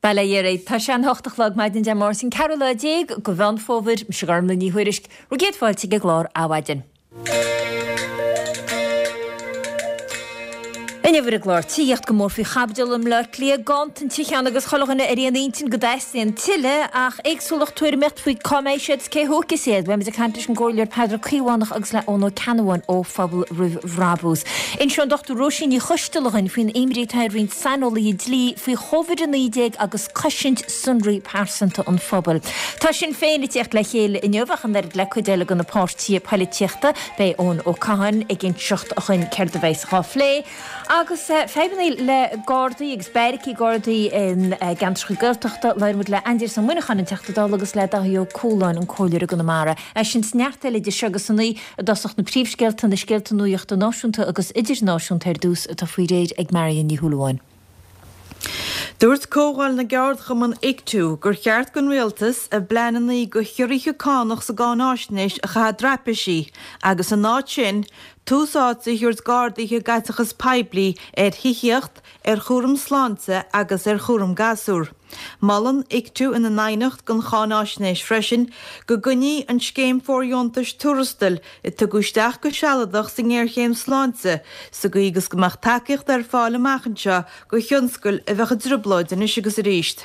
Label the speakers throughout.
Speaker 1: Bail ó Dhia oraibh. Tá sé an hocht a chlog maidin Dé Máirt an ceathrú lá déag de Mheán Fómhair. Mise Gormlaith Ní Thuairisg. Bhur gcéad fáilte ag an gclár Adhmhaidin. Inniu ar an gclár, tithíocht go mór faoi chaibidil i mBleá Cliath, ganntan tithe ann agus chuile dhuine ar aon intinn go dteastaíonn tuilleadh ach éagsúlacht tuairimíocht faoi cá mbeidh siad is cé a thógfas iad. Beidh muid ag caint leis an gComhairleoir Peadar Ó Caomhánach agus le Eoin Ó Ceannabháin ó Phobal Roimh Bhrabús. Inseoidh an Dr Róisín Ní Choisteala dhuinn faoin imní atá ar roinnt saineolaithe dlí faoi Chóivid-19 agus cosaint sonraí pearsanta an phobail. Tá Sinn Féin ag tíocht le chéile inniu ach an oiread le cuid eile de na páirtithe poilitíochta. Beidh Eoin Ó Catháin ag inseacht dhuinn céard a bheas dhá phlé. Agus fadhbanna le Gardaí agus beairicí Gardaí i gceantracha Gaeltachta, labhróidh muid le Aindrias Ó Muineacháin, an Teachta Dála agus le Dáithí Ó Cualáin, an Comhairleoir i gConamara. É sin is neart eile idir seo agus a naoi i dtosach na príomhscéalta, na scéalta nuachta náisiúnta agus idirnáisiúnta ar dtús atá faoi réir ag Marion Ní Shúilleabháin.
Speaker 2: Dúirt Comhdháil na gCeardchumann Ictu gur cheart don Rialtas a bpleananna do chiorruithe cánach sa gcáináisnéis a chaitheamh i dtraipisí agus ina áit sin tús áite a thabhairt d'arduithe i gcaiteachas poiblí ar thithíocht, ar chúram sláinte agus ar chúram gasúr. Molann Ictu ina n aighneacht don cháináisnéis freisin go gcoinneofaí an scéim fóirdheontais tuarastail a tugadh isteach go sealadach sa ngéarchéim sláinte sa gcaoi agus go mbeadh tacaíocht ar fáil amach anseo do thionscail a bheadh i dtrioblóid anois agus arís.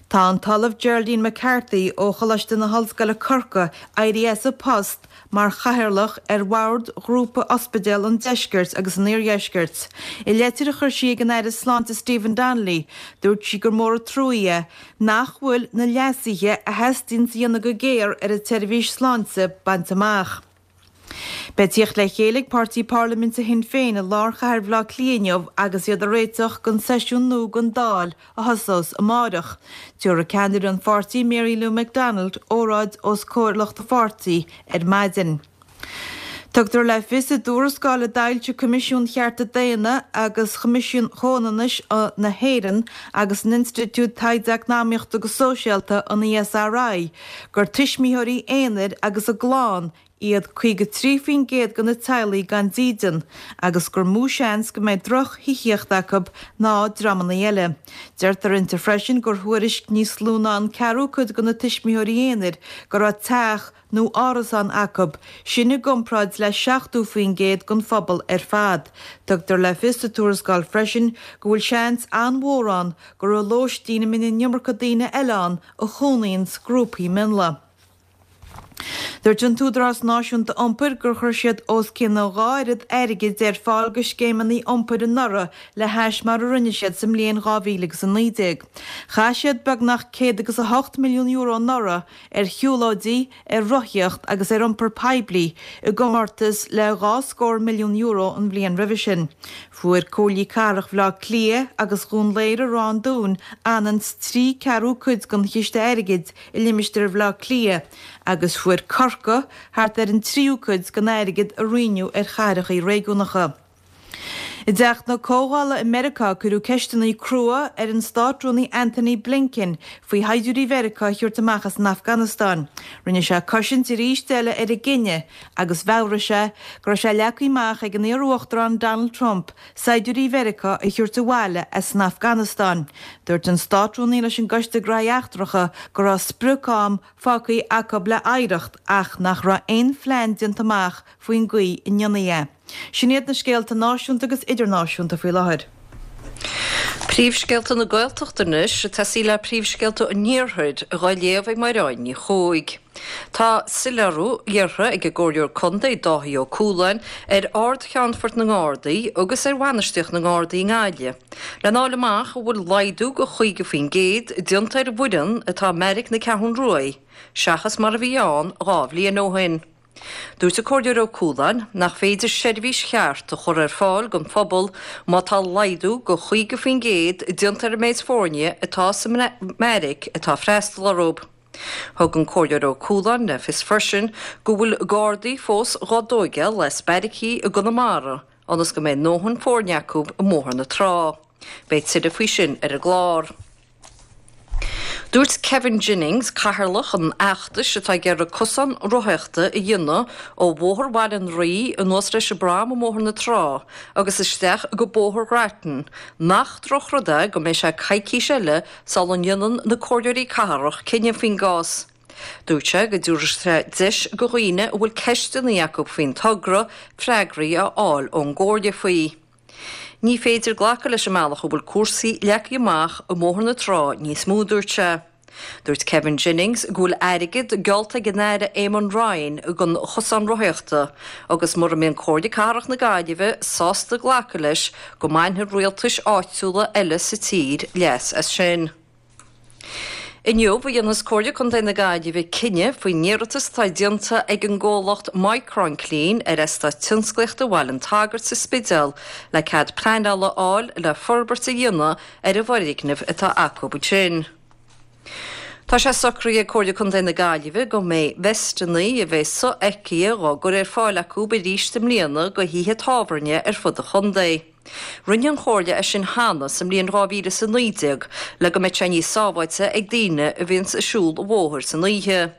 Speaker 2: Tá an tOllamh Geraldine McCarthy ó Choláiste na hOllscoile Corcaigh éirithe as a post mar chathaoirleach ar bhord Ghrúpa Ospidéal an Deiscirt agus an Iardheiscirt. I leitir a chuir sí ag an Aire Sláinte Stephen Donnelly, dúirt sí gur mór an trua é nach bhfuil na leasuithe a theastaíonn a dhéanamh go géar ar an tseirbhís sláinte bainte amach. Beidh tíocht le chéile ag páirtí parlaiminte Shinn Féin i lár chathair Bhaile Átha Cliath inniu agus iad ag réiteach don seisiún nua den Dáil a thosós amáireach. Tabharfaidh ceannaire an pháirtí Mary Lou McDonald óráid os comhair lucht a pháirtí ar maidin. Tugtar le fios i dtuarascáil a d'fhoilsigh Coimisiún Chearta Daonna agus Choimisiún Chomhionannais na hÉireann agus an Institiúid Taighde Eacnamaíochta agus Sóisialta, an ESRI, gur tuismitheoirí aonair agus a gclann iad 53% de na teaghlaigh gan dídean agus gur mó seans go mbeidh droch-thithíocht acu ná dreamanna eile. Deirtear inti freisin gur thuairisc níos lú ná an ceathrú cuid de na tuismitheoirí aonair go raibh teach nó árasán acu, sin i gcomparáid le 70% den phobal ar fad. Tugtar le fios sa tuarascáil freisin go bhfuil seans an-mhór ann gur i lóistín a mbíonn an iomarca daoine eile ann a chónaíonns grúpaí mionlaigh. Dúirt an tÚdarás Náisiúnta Iompair gur chuir siad os cionn a dhá oiread airgid ar fáil do scéimeanna iompair anuraidh le hais mar a rinne siad sa mbliain 2019. Chaith siad beagnach €108 milliún anuraidh ar shiúlóidí, ar rothaíocht agus ar iompar poiblí i gcomórtas le dhá scór milliún euro an bhliain roimhe sin. Fuair Comhairlí Cathrach Bhaile Átha Cliath agus Dhún Laoghaire-Ráth an Dúin anonn 's trí ceathrú cuid den chiste airgid i limistéar Bhaile Átha Cliath agus fuair Corcaigh thart ar an tríú cuid den airgead a roinneadh ar chathracha réigiúnacha. I dTeach na Comhdhála i Meiriceá cuireadh ceisteanna crua ar an Státrúnaí Antony Blinken faoi shaighdiúirí Mheiriceá a thabhairt amach as an Afganastáin. Rinne sé cosaint arís eile ar an gcinneadh agus mheabhraigh sé go raibh sé leagtha amach ag an iar-uachtarán Donald Trump saighdiúirí Mheiriceá a thabhairt abhaile as an Afganastáin. Dúirt an Státrúnaí leis an gCoiste Gnóthaí Eachtracha go raibh sprioc-am fágtha acu le hoidhreacht ach nach raibh aon phlean déanta amach faoin gcaoi a ndéanfaí é. Sin iad na scéalta náisiúnta agus idirnáisiúnta faoi láthair.
Speaker 3: Príomhscéalta na Gaeltachta anois, ag tosaí le príomhscéalta an Iarthair, dhá léamh ag Mairéad Ní Chuaig. Tá soiléiriú iarrtha ag an gComhairleoir Contae Dáithí Ó Cualáin ar Ard-Cheannfort na nGardaí agus ar bhainistíocht na nGardaí i nGaillimh lena fháil amach an bhfuil laghdú de 50% déanta ar an bhfoireann atá i mBeairic na Ceathrún Ruaidh seachas mar a bhí ann 2 bhliain ó shin. Dúirt an Comhairleoir Ó Cualáin nach féidir seirbhís cheart a chur ar fáil don phobal má tá laghdú de 50% déanta ar an méid foirne atá sa mbeairic atá ag freastal orthu. Thug an Comhairleoir Ó Cualáin le fios freisin go bhfuil Gardaí fós dhá dtóigeáil as beairicí i gConamara ionas go mbeidh a ndóthain foirne acu i mBóthar na Trá. Beidh tuilleadh faoi sin ar an gclár. Dúirt Kevin Jennings, cathaoirleach an fheachtais atá ag iarraidh cosán rothaíochta a dhéanamh ó Bhóthar Bhaile an Rí anuas leis an bprom i mBóthar na Trá agus isteach go Bóthar Ghrattan, nach drochrud é go mbeidh sé coicís eile sula ndéanann na comhairleoirí cathrach cinneadh faoin gcás. Dúirt sé go dtabharfaidh sé deis do dhaoine a bhfuil ceisteanna acu faoin togra freagraí a fháil ón gcomhairle faoi. Ní féidir glacadh leis an mbealach a bhfuil cúrsaí leagtha amach i mBóthar na Trá níos mó, a dúirt sé. Dúirt Kevin Jennings go bhfuil airgead geallta ag an Aire Eamon Ryan don chosán rothaíochta agus mura mbíonn Comhairle Cathrach na Gaillimhe sásta glacadh leis go mbainfidh rialtais áitiúla eile sa tír leas as sin. Inniu a dhéanfas Comhairle Contae na Gaillimhe cinneadh faoin iarratas atá déanta ag an gcomhlacht Micronclean ar Eastát Tionsclaíochta Bhaile an tSagairt sa Spidéal le cead pleanála a fháil le forbairt a dhéanamh ar an bhfoirgneamh atá acu ansin. Tá sé socraithe ag Comhairle Contae na Gaillimhe go mbeidh veisteanna a bheidh sofheicthe dhá gcur ar fáil acu arís i mbliana go thithe tábhairne ar fud an chontae. Rinne an Chomhairle é sin cheana sa mbliain 2019 le go mbeadh sé níos sábháilte ag daoine a bhíonns ag siúl an bhóthair san oíche.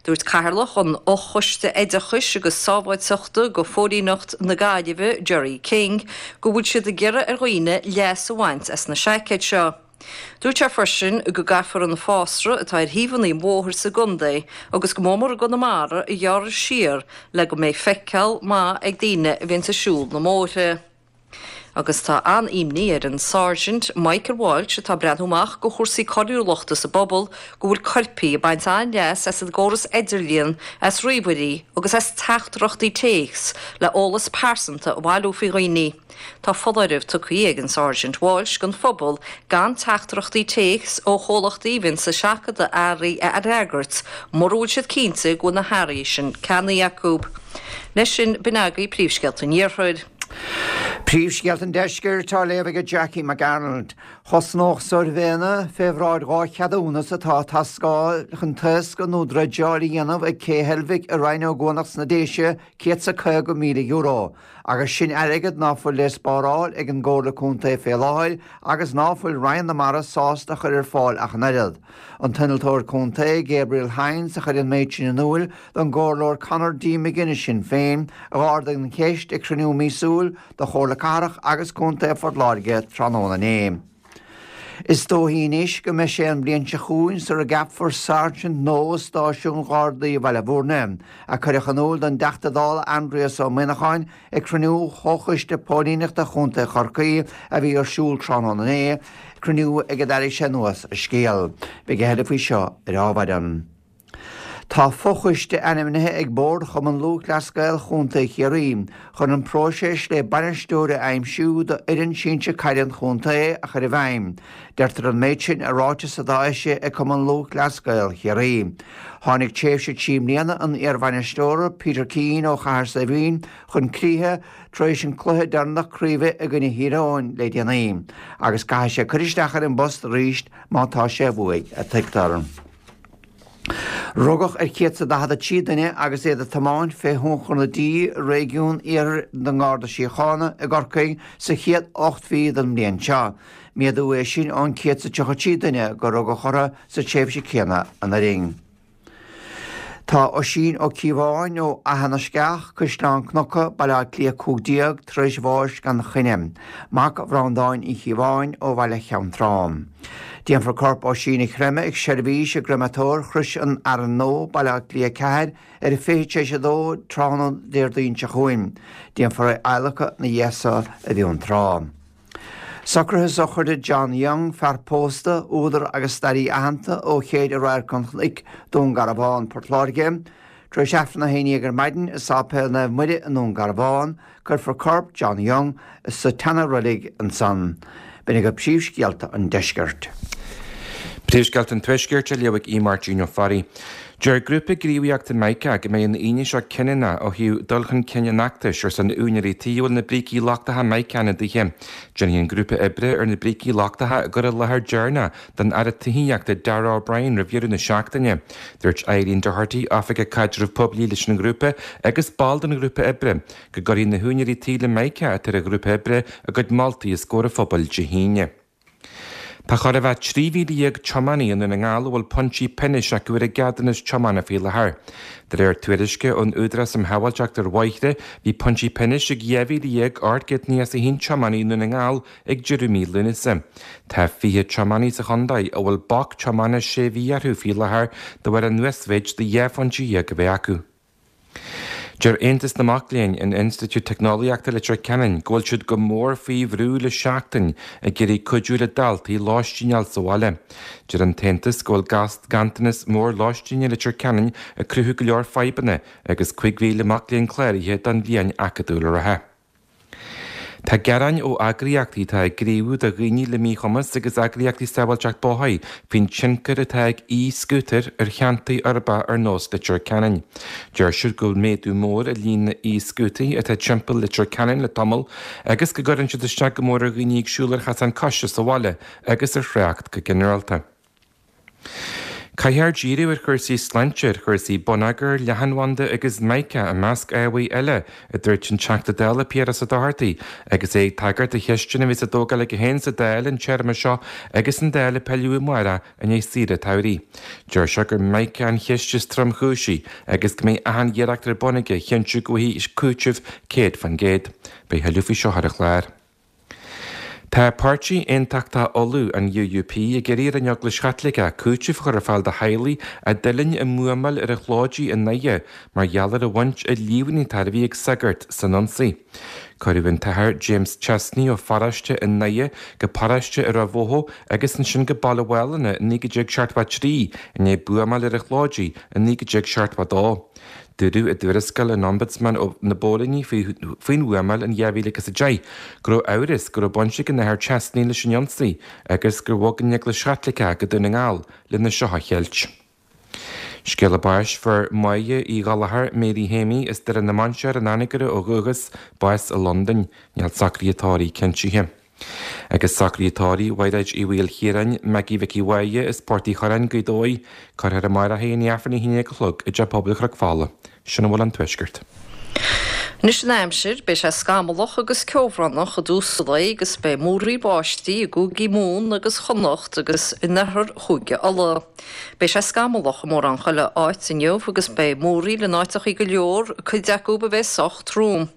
Speaker 3: Dúirt Cathaoirleach an Fhochoiste Oideachais agus Sábháilteachta go Phóilíneacht na Gaillimhe, Gerry King, go bhfuil siad ag iarraidh ar dhaoine leas a bhaint as na seaicéid seo. Dúirt sé freisin go gcaithfear an fásra atá ar thaobhanna an bhóthair sa gcontae agus go mór mór i gConamara a ghearradh siar le go mbeidh feiceáil maith ag daoine a bhíonns ag siúl na mbóithre. Agus tá an-imní ar an Sáirsint Michael Walsh atá ag breathnú amach go chúrsaí coiriúlachta sa bpobal go bhfuil coirpigh ag baint an-leas as an gcóras idirlíon, as ríomhairí agus as teachtaireachtaí téacs le eolas pearsanta a bhailiú faoi dhaoine. Tá foláireamh tugtha ag an Sáirsint Walsh don phobal gan teachtaireachtaí téacs ó chomhlachtaí a bhíonns ag seachadadh earraí a fhreagairt mura bhfuil siad cinnte go bhfuil na hearraí sin ceannaithe acu. Leis sin, b'in agaibh príomhscéalta an Iarthair.
Speaker 4: Príomhscéalta an Deiscirt á léamh ag Jackie McArnold. Chosnódh suirbhéanna fé bhráid 2 cheadúnas atá ag teastáil chun taoscadh nó dreideáil a dhéanamh ag Cé Heilbhic i Rinn Ó gCuanach sna Déise €150,000. Agus sin airgead ná fuil le spáráil ag an gComhairle Contae fé láthair agus ná fuil Roinn na Mara sásta a chur ar fáil ach an oiread. An t-innealtóir contae, Gabriel Hynes, a chuir an méid sin in úil don gComhairleoir Conor D. McGuinness Shinn Féin, a dh'ardaigh an cheist ag cruinniú míosúil de Chomhairle Cathrach agus Contae Phort Láirge tráthnóna inné. Is dóichí anois go mbeidh sé an bhliain seo chugainn sara gceapfar sáirsint nua i stáisiún Ghardaí Bhaile Bhúirne, a cuireadh in iúl don dTeachta Dála Aindrias Ó Muimhneacháin ag cruinniú Chomhchoiste Póilíneachta Chontae Chorcaí a bhí ar siúl tráthnóna inné, cruinniú ag a d'airigh sé anuas an scéal. Beidh a thuilleadh faoi seo ar Adhmhaidin. Tá fochoiste ainmnithe ag Bord Chumann Lúthchleas Gael Chontae Chiarraí chun an próiseas le bainisteoir a aimsiú do fhoireann sinsir caide an chontae a chur i bhfeidhm. Deirtear an méid sin i ráiteas atá eisithe ag Cumann Lúthchleas Gael Chiarraí. Tháinig tréimhse 3 mbliana an iarbhainisteora Peter Keane ó Chathair Saidhbhín chun críche tar éis an cluiche deireanach craoibhe i gcoinne Thír Eoghain le déanaí agus caithfidh sé cur isteach ar an bpost arís má tá sé uaidh, a tuigtear. Rugadh ar 143 duine agus iad ag tiomáint fé thionchar na dí i réigiún iarthair den nGarda Síochána i gCorcaigh sa chéad 8 mhí den mbliain seo. Méadú é sin ón 133 duine gur rugadh orthu sa tréimhse céanna anuraidh. Tá Oisín Ó Cíobháin ó Fhaiche na Sceach, Caisleán Cnuca, Baile Átha Cliath 15, tar éis bháis gan choinne. Mac Bhreandáin Uí Chíobháin ó Bhaile Cheann Trá. Déanfar corp Oisín a chreimeadh ag seirbhís i gcreimeatóir Chrois an Fhearainn Nua, Baile Átha Cliath 4, ar a 2:40 tráthnóna Déardaoin seo chugainn. Déanfar é a adhlacadh ina dhiaidh so i bhFionntrá. Socruithe sochraide John Young, fear pósta, údar agus staraí aitheanta ó Chéide Radharc an Chnoic, Dún Garbhán, Port Láirge. Tar éis Aifreann a 11 ar maidin i Sáipéal Naomh Muire i nDún Garbhán, cuirfear corp John Young sa tseana-reilig ansan. B'in agaibh príomhscéalta an deiscirt.
Speaker 5: Príomhscéalta an Tuaiscirt á léamh ag Aodh Máirtín Ó Fearraigh. Deir grúpa gníomhaíochta Mica go mbeidh an Aoine seo cinniúnach ó thaobh dul chun cinn an fheachtais ar son úinéirí tí a bhfuil na brící lochtacha Mica ina dtithe. Déanfaidh an grúpa oibre ar na brící lochtacha a gcur i láthair deireanach don Aire Tithíochta Darragh O'Brien roimh dheireadh na seachtaine. Dúirt Eileen Doherty, Oifigeach Caidrimh Poiblí leis an ngrúpa agus ball den ghrúpa oibre, go gcuirfidh na húinéirí tí le Mica atá ar an ghrúpa oibre a gcuid moltaí os comhair an phobail Dé hAoine. Tá chóir a bheith 13,000 tiománaí i nDún na nGall a bhfuil pointí pionóis acu ar a gceadúnas tiomána faoi láthair. De réir tuairisce ón Údarás um Shábháilteacht ar Bhóithre, bhí pointí pionóis ag 12,891 tiománaí i nDún na nGall ag deireadh mí Lúnasa. Tá 20 tiománaí sa chontae a bhfuil bac tiomána sé mhí orthu faoi láthair de bharr an uasmhéid de 12 phointe a bheith acu. Deir Aontas na Mac Léinn in Institiúid Teicneolaíochta Leitir Ceanainn go bhfuil siad go mór faoi bhrú le seachtain ag iarraidh cuidiú le daltaí lóistín a fháil sa bhaile. Deir an tAontas go bhfuil ganntanas mór lóistín i Leitir Ceanainn ag cruthú go leor fadhbanna agus 5,000 mac léinn cláraithe don bhliain acadúil reatha. Tá gearáin ó eagraíochtaí atá ag gníomhú do dhaoine le míchumas agus eagraíochtaí sábháilteacht bóthair faoin tionchar atá ag e-scútair ar cheantair uirbeacha ar nós Leitir Ceanainn. Deir siad go bhfuil méadú mór i líon na e-scútaí atá timpeall Leitir Ceanainn le tamall agus go gcuireann siad isteach go mór ar dhaoine ag siúl ar chasán coise sa bhaile agus ar thrácht go ginearálta. Caithfear díriú ar chúrsaí sláinte, ar chúrsaí bonneagair, leathanbhanda agus mica, i measc ábhair eile, a dúirt an Teachta Dála Piaras Ó Dochartaigh agus é ag tagairt do cheisteanna a bheas á dtógáil aige féin sa Dáil an téarma seo agus an Dáil ag pilleadh amárach i ndiaidh saoire tsamhraidh. Deir sé gur mica an cheist is tromchúisí agus go mbeidh achan iarracht ar bun aige a chinntiú go bhfaighidh cúiteamh 100%. Beidh thuilleadh faoi seo ar an chlár. Tá Páirtí Aontachtach Uladh, an UUP, ag iarraidh ar an Eaglais Chaitliceach cúiteamh a chur ar fáil do theaghlaigh a d'fhulaing i mbuamáil ar an Chlóidí i nDoire mar gheall ar an bhaint a líomhnaítear a bhí ag sagart san ionsaí. Cuireadh an tAthair James Chesney ó pharóiste i nDoire go paróiste i Ráth Bhoth agus ansin go Baile Mhálanna i 1973 i ndiaidh buamáil ar an Chlóidí i 1972. Dúradh i dtuarascáil an Ombudsman na bPóilíní faoin bhuamáil in 2010 go raibh amhras go raibh baint ag an Athair Chesney leis an ionsaí agus gur bhog an Eaglais Chaitliceach go Dún na nGall lena seo a cheilt. Scéala báis Fuair Máire Uí Ghallchóir, Mary Shéimí, as Doire na Mainséar, an Anagaire ó dhúchas, bás i Londain. Níl socruithe tórraimh cinntithe. Agus socruithe tórraimh Mhairéid Uí Mhaoilchiaráin, Maggie Mhicí Mháire as Port Uí Churráin, Gaoth Dobhair, cuirfear amárach í i ndiaidh Aifreann a 11 a chlog i dTeach Pobail Chnoc Fola. Sin a bhfuil ón Tuaisceart.
Speaker 3: Anois an aimsir, beidh sé scamallach agus ceobhránach i dtús an lae agus beidh múraíl báistí i gcúigí Mumhan agus Chonnacht agus in oirthear Chúige Uladh. Beidh sé scamallach i mórán chuile áit inniu agus beidh múraíl in áiteachaí go leor, cuid acu a bheidh sách trom.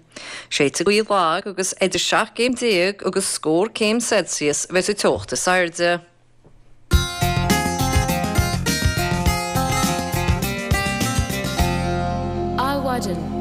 Speaker 3: Séidfidh gaoth lag agus idir 17 gcéim agus scór céim Celsius a bheidh sa teocht is airde.
Speaker 1: Adhmhaidin.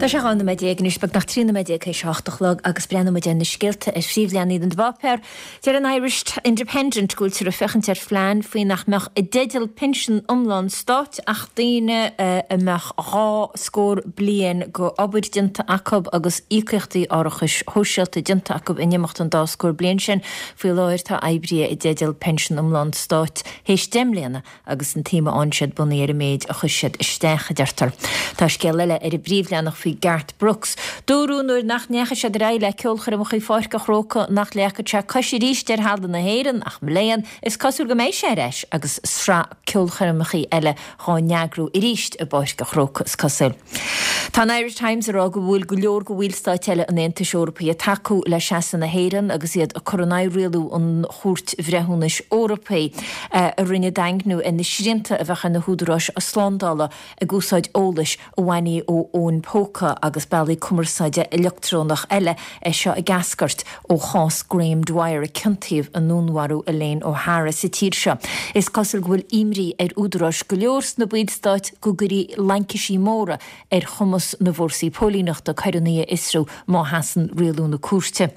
Speaker 1: Tá sé 12 nóiméad anois, beagnach 13 nóiméad théis a hocht a chlog agus breathnóidh muid ar na scéalta ar phríomhleathanaigh na bpáipéar. Deir an Irish Independent go bhfuiltear ag féachaint ar phlean faoi nach mbeadh i dteideal pinsean iomlán stáit ach daoine a mbeadh dhá scór bliain go obair déanta acu agus íocaíochtaí árachais shóisialta déanta acu in imeacht an dá scór bliain sin. Faoi láthair tá oibrithe i dteideal pinsean iomlán stáit théis deich mbliana agus an tsuim a fhaigheann siad bunaithe ar an méid a chuir siad isteach, a deirtear. Tá scéal eile ar an bpríomhleathanach faoi Garth Brooks. Dúradh nuair nach ndeachaigh siad ar aghaidh le ceolchoirmeacha i Pháirc an Chrócaigh nach leagfadh sé cois arís ar thalamh na hÉireann ach mo léan, is cosúil go mbeidh sé ar ais agus sraith ceolchoirmeacha eile dhá n-eagrú arís i bPáirc an Chrócaigh, is cosúil. Tá an Irish Times ag rá go bhfuil go leor de bhallstáit eile an Aontais Eorpaigh ag tacú le seasamh na hÉireann agus iad ag cur in aghaidh rialú an Chúirt Bhreithiúnais Eorpaigh a rinne daingniú ar na srianta a bheadh ar na húdaráis slándála ag úsáid eolais a bhainfí ó fhóin póca agus bealaí cumarsáide leictreonach eile, é seo ag eascairt ó chás Graham Dwyer a ciontaíodh i ndúnmharú Elaine O'Hara sa tír seo. Is cosúil go bhfuil imní ar údaráis go leor sna ballstáit go gcuirfí laincisí móra ar chumas na bhfórsaí póilíneachta coireanna a fhiosrú má sheasann rialú na cúirte.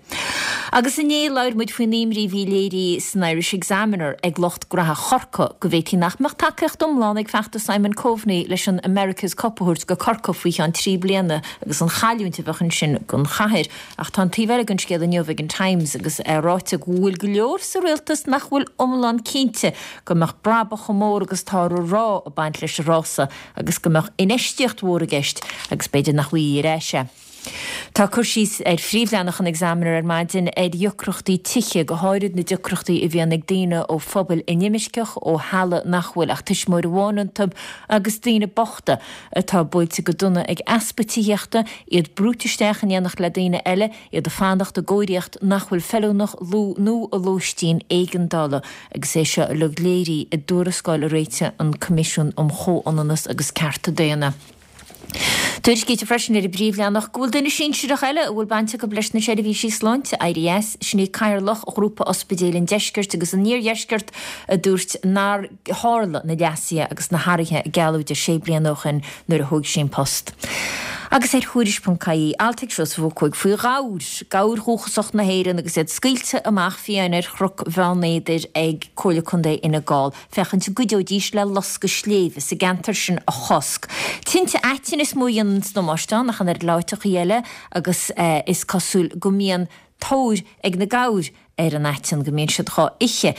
Speaker 1: Agus inné labhair muid faoin imní a bhí léirithe san Irish Examiner ag lucht graithe Chorcaí go bhféadfaí nach mbeadh tacaíocht iomlán ag feachtas Simon Coveney leis an America's Cup a thabhairt go Corcaigh faoi cheann 3 bliana agus an chailliúint a bheadh ansin don chathair. Ach tá an taobh eile den scéal inniu ag an Times agus é ráite go bhfuil go leor sa rialtas nach bhfuil iomlán cinnte go mbeadh brabach chomh mór agus atáthar a rá ag baint leis an rása agus go mbeadh infheistíocht mhór i gceist agus b'fhéidir nach bhfaighfí ar ais é. Tá cur síos ar phríomhleathanach an Examiner ar maidin ar dheacrachtaí tithe, go háirid na deacrachtaí a bhíonn ag daoine ó phobail inimirceach, ó theaghlaigh nach bhfuil ach tuismitheoir amháin iontu agus daoine bochta atá buailte go dona ag easpa tithíochta, iad brúite isteach in éineacht le daoine eile, iad ag fanacht i gcóiríocht nach bhfuil feiliúnach nó i lóistín éigeandála agus é seo uilig léirithe i dtuarascáil a réitigh an Coimisiún um Chomhionannas agus Cearta Daonna. Tuairiscítear freisin ar an bpríomhleathanach go bhfuil duine sinsearach eile a bhfuil baint acu leis na seirbhísí sláinte éirithe as, sin é Cathaoirleach Ghrúpa Ospidéil an Deiscirt agus an Iardheiscirt a dúirt nár tharla na leasuithe agus na hathruithe a gealladh di sé bliana ó shin nuair a thóg sí an post. Agus ar Thuairisc.ie, alt ag Seosamh Ó Cuaig faoi ghabhair, gabhair dhúchasach na hÉireann agus iad scaoilte amach fiáin ar Chnoc Bheann Éadair ag Comhairle Contae Fhine Gall. féachaint an gcuideoidís le loscadh sléibhe sa gceantar sin a chosc. Tinte aitinn is mó a dhéananns damáiste ann ach an oiread le áiteachaí eile agus is cosúil go mbíonn tóir ag na gabhair ar an aiteann, go mbíonn siad dhá ithe.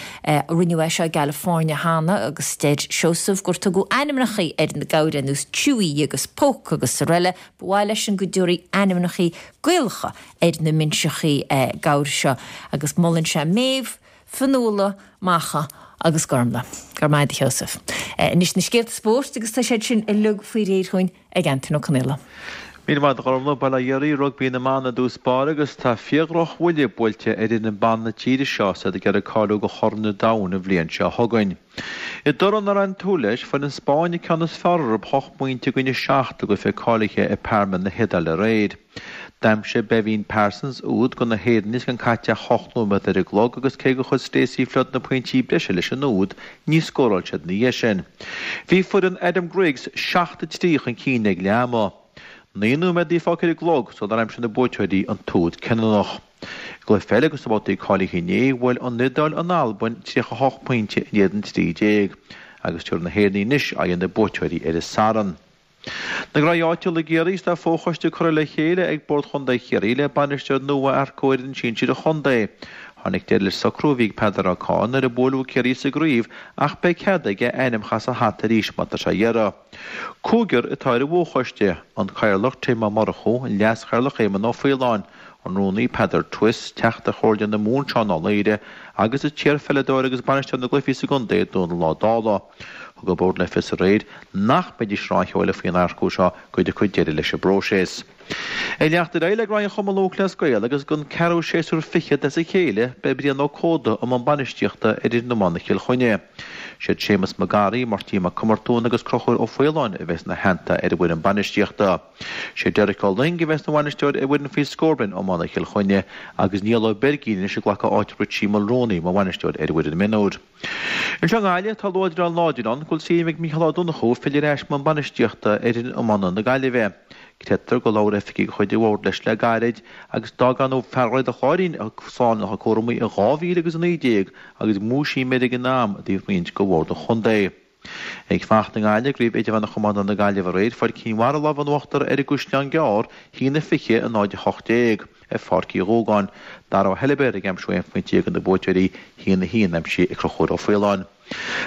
Speaker 1: Rinneadh é seo i gCalifornia cheana agus deir Seosamh gur tugadh ainmneachaí ar na gabhair ar nós Chewy agus Poke agus araile. Ba mhaith leisean go dtabharfaí ainmneachaí Gaelacha ar na minseachaí gabhair seo agus molann sé Méabh, Fionnuala, Macha agus Gormlaith. Go raibh maith agat a Sheosaimh. Anois na scéalta spóirt agus tá siad sin uilig faoi réir chugainn ag Antain Ó Conaola.
Speaker 6: Míle maith agat a Ghormlaith. Bail ó Dhia oraibh, Rugbaí na mban i dtús báire agus tá fíordhrochbhuille buailte ar fhoireann ban na tíre seo is iad ag iarraidh cáiliú do Chorn an Domhain an bhliain seo chugainn. I dtoradh nár aon tsúil leis, fuair an Spáinn an ceann is fearr orthu 8 bpointe i gcoinne 7 i gcluiche cáilithe i Parma na hIodáile aréir. D'aimsigh Beibhinn Parsons úd do na hÉireannaigh is gan caite ach 8 nóiméad ar an gclog agus cé gur chuir Stacey Flood na pointí breise leis an úd, níor scóráil siad ina dhiaidh sin. Bhí foireann Adam Griggs 7-3 chun cinn ag leath ama. 9 nóiméad a bhí fágtha ar an gclog sular aimsigh na buaiteoirí an t-úd cinniúnach. I gcluiche eile dos na babhtaí cáilithe inné, bhuail an Iodáil an Albain 38 pointe in éadan 13 agus tabharfaidh na hÉireannaigh anois aghaidh ar na buaiteoirí ar an Satharn. Na graí áitiúla i gCiarraí is tá fochoiste curtha le chéile ag Bord Chontae Chiarraí le bainisteoir nua a earcú ar fhoireann sinsir an chontae. Tháinig deireadh leis an socrú a bhí ag Peadar Ó Cadhain nuair a buaileadh Ciarraí sa gcraobh ach beidh cead aige a ainm a chur as a hata arís má tá sé á iarraidh. Cúigear atá ar an bhfochoiste, an Cathaoirleach Tim Ó Murchú, an Leas-Chathaoirleach Éamonn Ó Faoláin, an Rúnaí Peadar Twiss, Teachta Chomhairle na Mumhan Seán Ó Laoire agus an t-iar-pheileadóir agus bainisteoir na gcluichí sa gcontae Dónal Ó Dálaigh. Thug an Bord le fios aréir nach mbeidís ar aon cheol faoin earcú seo go dtiocfaidh deireadh leis an bpróiseas. Ag leanacht ar aghaidh le Graí an Chumann Lúthchleas Gael agus don ceathrú séasúr fichead as a chéile beidh Brian Ó Códa i mbun bainistíochta ar fhoireann iomána Chill Chainnigh. Siad Séamus Mac Garaí, Máirtín Mac Comartúin agus Conchúr Ó Faoláin a bheas ina theannta ar an bhfoireann bainistíochta. Sé Derek Ó Luing a bheas ina bhainisteoir ar fhoireann faoi scór bliain iomána Chill Chainnigh agus Niall Ó Beirgín anois ag glacadh áit Richie Mulroney mar bhainisteoir ar an bhfoireann mionúir. Anseo i nGaillimh, tá luaidreán láidir ann go bhfuil suim ag Mícheál Ó Donnchú filleadh ar ais i mbun bainistíochta ar fhoireann iomána na Gaillimhe. Creidtear gur labhair oifigigh de chuid an bhoird leis le gairid agus d'fhág ar ndóigh fear Dhroichead an Chláirín slán lena chuid cúramaí in 2019 agus múisím air ag an am i dtaobh roinnt de bhord an chontae. Ag fanacht i nGaillimh, i gCraobh Idirmheánach Iomána na Gaillimhe aréir, fuair Cinn Mhara lámh in uachtar ar an gCaisleán Gearr, 1-20, 0-18, ar Pháirc Uí Dhúgáin. Dara Ó hOilibhéir ag aimsiú aon phointe do na buaiteoirí, 1-1 aimsithe ag Conchúr Ó Faoláin.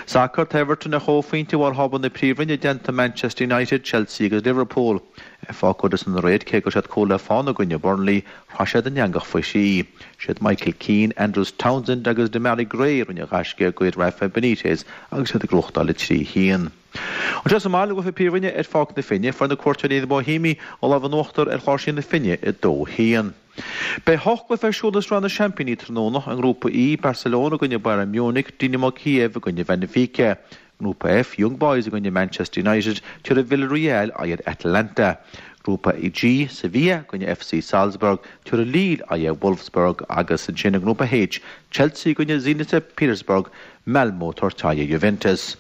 Speaker 6: Sacar, Tá Everton ar chomhphointe i bharr thábla na Príomhroinne i dteannta Manchester United, Chelsea agus Liverpool. Ar Pháirc Goodison aréir, cé go raibh siad cúl le fána i gcoinne Burnley, Shroich siad an eangach faoi thrí. Siad Michael Keane, Andros Townsend agus Demarai Gray a rinne an ghaisce do Rafa Benitez agus iad ag gnóthachtáil 3 1. Anseo sa mbaile i gcluiche Príomhroinne ar Pháirc na Finne, fuair na cuairteoirí na Boihéamaigh an lámh in uachtar ar Chláirsigh na Finne 2 1. Beidh hocht gcluiche ar siúl i Sraith na Seaimpíní tráthnóna, i nGrúpa E, Barcelona i gcoinne Bayern Munich, Dinamo Kiev i gcoinne Benfica. Grúpa F, Young Boys i gcoinne Manchester United, tabharfaidh Villarreal aghaidh ar Atalanta. Grúpa G, Sevilla i gcoinne FC Salzburg, tabharfaidh Lille aghaidh ar Wolfsburg agus ansin i nGrúpa H, Chelsea i gcoinne Zenit St Petersburg, Malmo ag tabhairt aghaidh ar Juventus.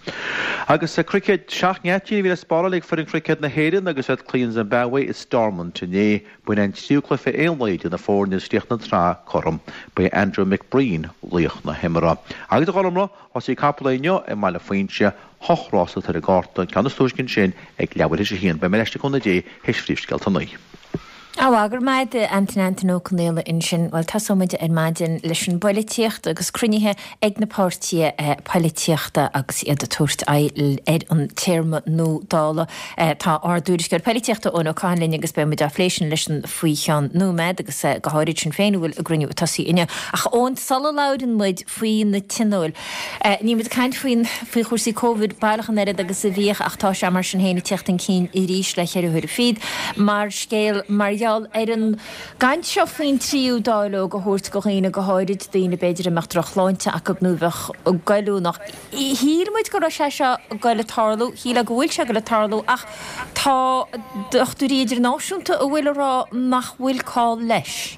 Speaker 6: Agus sa chruicéad, seacht ngeaitín a bhí le spáráil ag foireann chruicéad na hÉireann agus iad ag cloí an Zimbabwe i Stormont inné. B'in é an tríú cluiche aon lae idir na foirne agus chríochnaigh an tsraith cothrom. Ba é Andrew McBreen laoch na himeartha. Agus a Ghormlaith, Rásaí capall inniu i mBaile Phuinse, hocht rás atá ar an gcárta, an ceann is túisce ansin ag leathuair théis a haon. Beidh mé ar ais le cúnamh Dé théis phríomhscéalta a naoi.
Speaker 1: Á, go raibh maith agat Antain Antain Ó Conaola ansin. Bhuel, tosóidh muid ar maidin leis an bpoilitíocht agus cruinnithe ag na páirtithe poilitíochta agus iad ag tabhairt aghaidh ar an téarma nua Dála. Tá ár dtuairisceoir poilitíochta Eoin Ó Catháin linn agus beidh muid á phlé sin leisean faoi cheann nóiméad agus go háirid Sinn Féin a bhfuil a gcruinniú ag tosaí inniu. Ach Eoin, sula labhrann muid faoi na tionóil, Níl muid ag caint faoin, faoi chúrsaí Covid baileach an oiread agus a bhíodh ach tá sé mar sin féin ag tíocht chun cinn arís le cheithre huaire fichead mar scéal mar gheall ar an gcaint seo faoin tríú dáileog a thabhairt go dhaoine, go háirid daoine b'fhéidir a mbeadh drochshláinte acu nó a bheadh goilliúnach. Shíl muid go raibh sé seo ag goil ag tarlú, shílfeá go bhfuil sé ag goil ag tarlú ach tá dochtúirí idirnáisiúnta a bhfuil ag rá nach bhfuil call leis.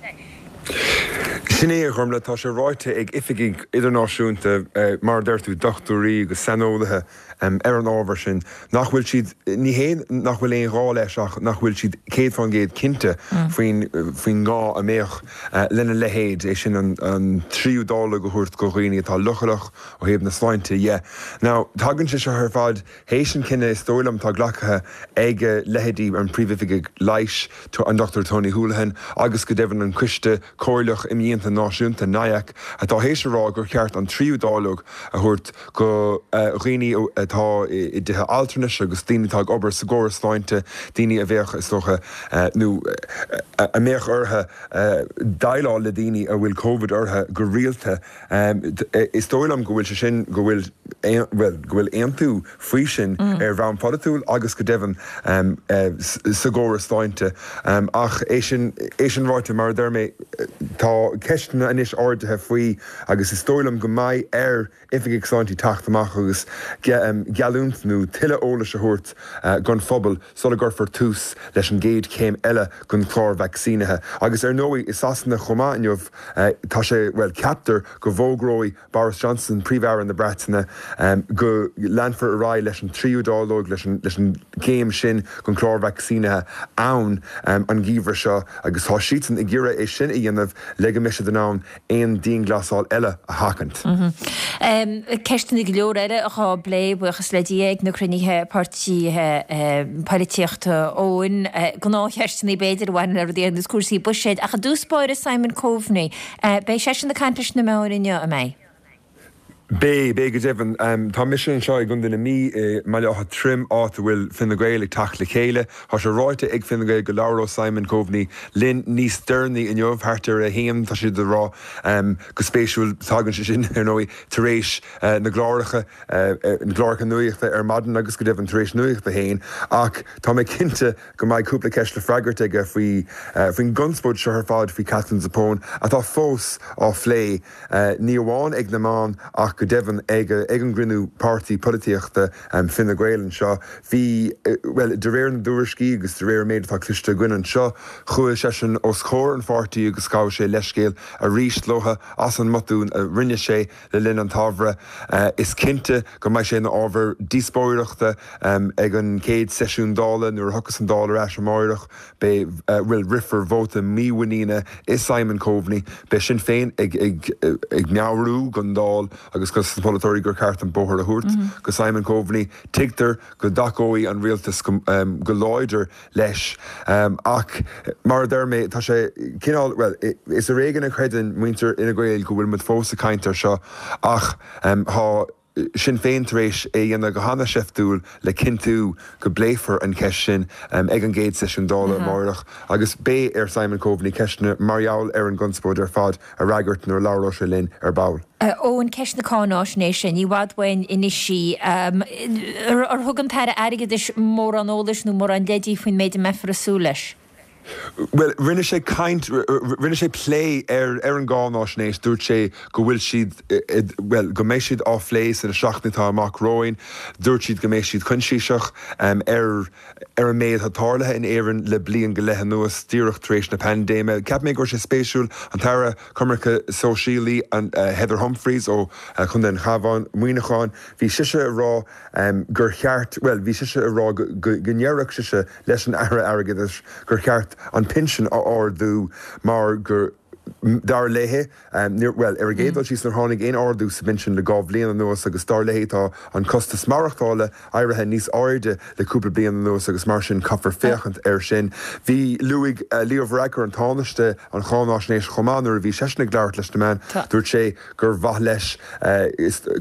Speaker 7: Sin é, a Ghormlaith, tá sé ráite ag oifigigh idirnáisiúnta, mar a deir tú, dochtúirí agus saineolaithe ar an ábhar sin, nach bhfuil siad, ní hé nach bhfuil aon ghá leis ach nach bhfuil siad 100% cinnte faoin faoin ngá a mbeadh lena leithéid, é sin an tríú dáileog a thabhairt do dhaoine atá leochaileach ó thaobh na sláinte dhe. Now, tagann sé seo ar fad théis an cinneadh, is dóigh liom, atá glactha ag leithéidí an Príomhoifigigh Leighis, an Dr Tony Holohan agus go deimhin an Coiste Comhairleach Imdhíonta Náisiúnta, NIAC, atá théis a rá gur cheart an tríú dáileog a thabhairt go dhaoine atá i dtithe altranais agus daoine atá ag obair sa gcóras sláinte, daoine a bheadh, is dócha, nó a mbeadh orthu déileáil le daoine a bhfuil Covid orthu go rialta. Is dóigh liom go bhfuil sé sin, go bhfuil, bhuel, go bhfuil aontú faoi sin ar bhonn polaitiúil agus go deimhin sa gcóras sláinte. Ach é sin, é sin ráite, mar a deir mé, tá ceisteanna anois ardaithe faoi agus is dóigh liom go mbeidh ar oifigigh sláinte teacht amach agus geallúint nó tuilleadh eolais a thabhairt don phobal sula gcuirfear tús leis an gcéad chéim eile den chlár vacsaínithe. Agus ar ndóigh, i Sasana chomh maith inniu, tá sé, bhuel, ceaptar go bhfógróidh Boris Johnson, Príomh-Aire na Breataine, go leanfar ar aghaidh leis an tríú dáileog, leis an gcéim sin den chlár vacsaínithe ann an geimhreadh seo agus tá siadsan ag iarraidh é sin a dhéanamh le go mbeidh siad in ann aon dianghlasáil eile a sheachaint.
Speaker 1: Ceisteanna go leor eile dhá bplé, buíochas le Dia, ag na cruinnithe páirtithe poilitíochta Eoin. Gnáthcheisteanna b'fhéidir a bhaineann le rudaí ar nós cúrsaí buiséid. Ach i dtús báire Simon Coveney, beidh seisean ag caint leis na meáin inniu, an mbeidh?
Speaker 7: Beidh, beidh go deimhin. Tá mise anseo i gContae na Mí, i mBaile Átha Troim, áit a bhfuil Fine Gael ag teacht le chéile. Tá sé ráite ag Fine Gael go labhróidh Simon Coveney linn níos deireanaí inniu, thart ar a haon, tá siad ag rá. Go spéisiúil, tagann sé sin, ar ndóigh, tar éis na gcláracha, na gcláracha nuachta ar maidin agus go deimhin tar éis Nuacht a hAon. Ach tá mé cinnte go mbeidh cúpla ceist le freagairt aige faoi, faoin gconspóid seo ar fad faoi Katherine Zappone, atá fós á phlé. ní amháin ag na meáin ach go deimhin ag an gcruinniú páirtí polaitíochta Fine Gael anseo. Bhí, bhuel, de réir na dtuairiscí agus de réir an méid atá cloiste againn anseo, chuaigh seisean os comhair an pháirtí agus ghabh sé leithscéal arís leo as an mbotún a rinne sé le linn an tsamhraidh. Is cinnte go mbeidh sé ina ábhar díospóireachta ag an gcéad seisiún Dála nuair a thiocfas an Dáil ar ais amáireach. Beidh, bhuel, rithfear vóta mímhuiníne i Simon Coveney. Beidh Sinn Féin ag, ag, ag meabhrú don Dáil agus dos na polaiteoirí gur cheart an bóthar a thabhairt go Simon Coveney. Tuigtear go dtacóidh an rialtas go, go láidir leis. Ach, mar a deir mé, tá sé cineál, bhuel, is ar éigean a chreideann muintir Fhine Gael go bhfuil muid fós ag caint air seo ach tá, Sinn Féin tar éis é a dhéanamh go hana-sheiftiúil le cinntiú go bpléifear an cheist sin ag an gcéad seisiún Dála amáireach agus beidh ar Simon Coveney ceisteanna mar gheall ar an gconspóid ar fad a fhreagairt nuair a labhróidh sé linn ar ball.
Speaker 1: Eoin, ceist na cáináisnéise, ní i bhfad uainn anois í. Ar thug an tAire Airgeadais mórán eolais nó mórán leidí faoin méid a mbeifear ag súil leis?
Speaker 7: Bhuel, rinne sé caint, rinne sé plé ar ar an gcáináisnéis, dúirt sé go bhfuil siad, bhuel, go mbeidh siad á phlé sna seachtainí atá amach romhainn. Dúirt siad go mbeidh siad coinsiasach ar ar an méid atá tarlaithe in Éirinn le bliain go leith anuas, díreach tar éis na paindéime. Cheap mé go raibh sé spéisiúil, an tAire Coimirce Sóisialaí, Heather Humphreys ó Chontae an Chabháin, Muineachán, bhí sise ag rá gur cheart, bhuel, bhí sise ag rá go go ndéarfadh sise, leis an Aire Airgeadais gur cheart an pinsean a ardú mar go. Dar léi, níor, bhuel, ar an gcéad dul síos, níor tháinig aon ardú sa bpinsean le 2 bhliain anuas agus dar léi tá an costas maireachtála éirithe níos airde le cúpla bliain anuas agus mar sin caithfear féachaint air sin. Bhí, luaigh Leo Varadkar, an Tánaiste, an cháináisnéis chomh maith nuair a bhí seisean ag labhairt leis na meáin. Dúirt sé gur mhaith leis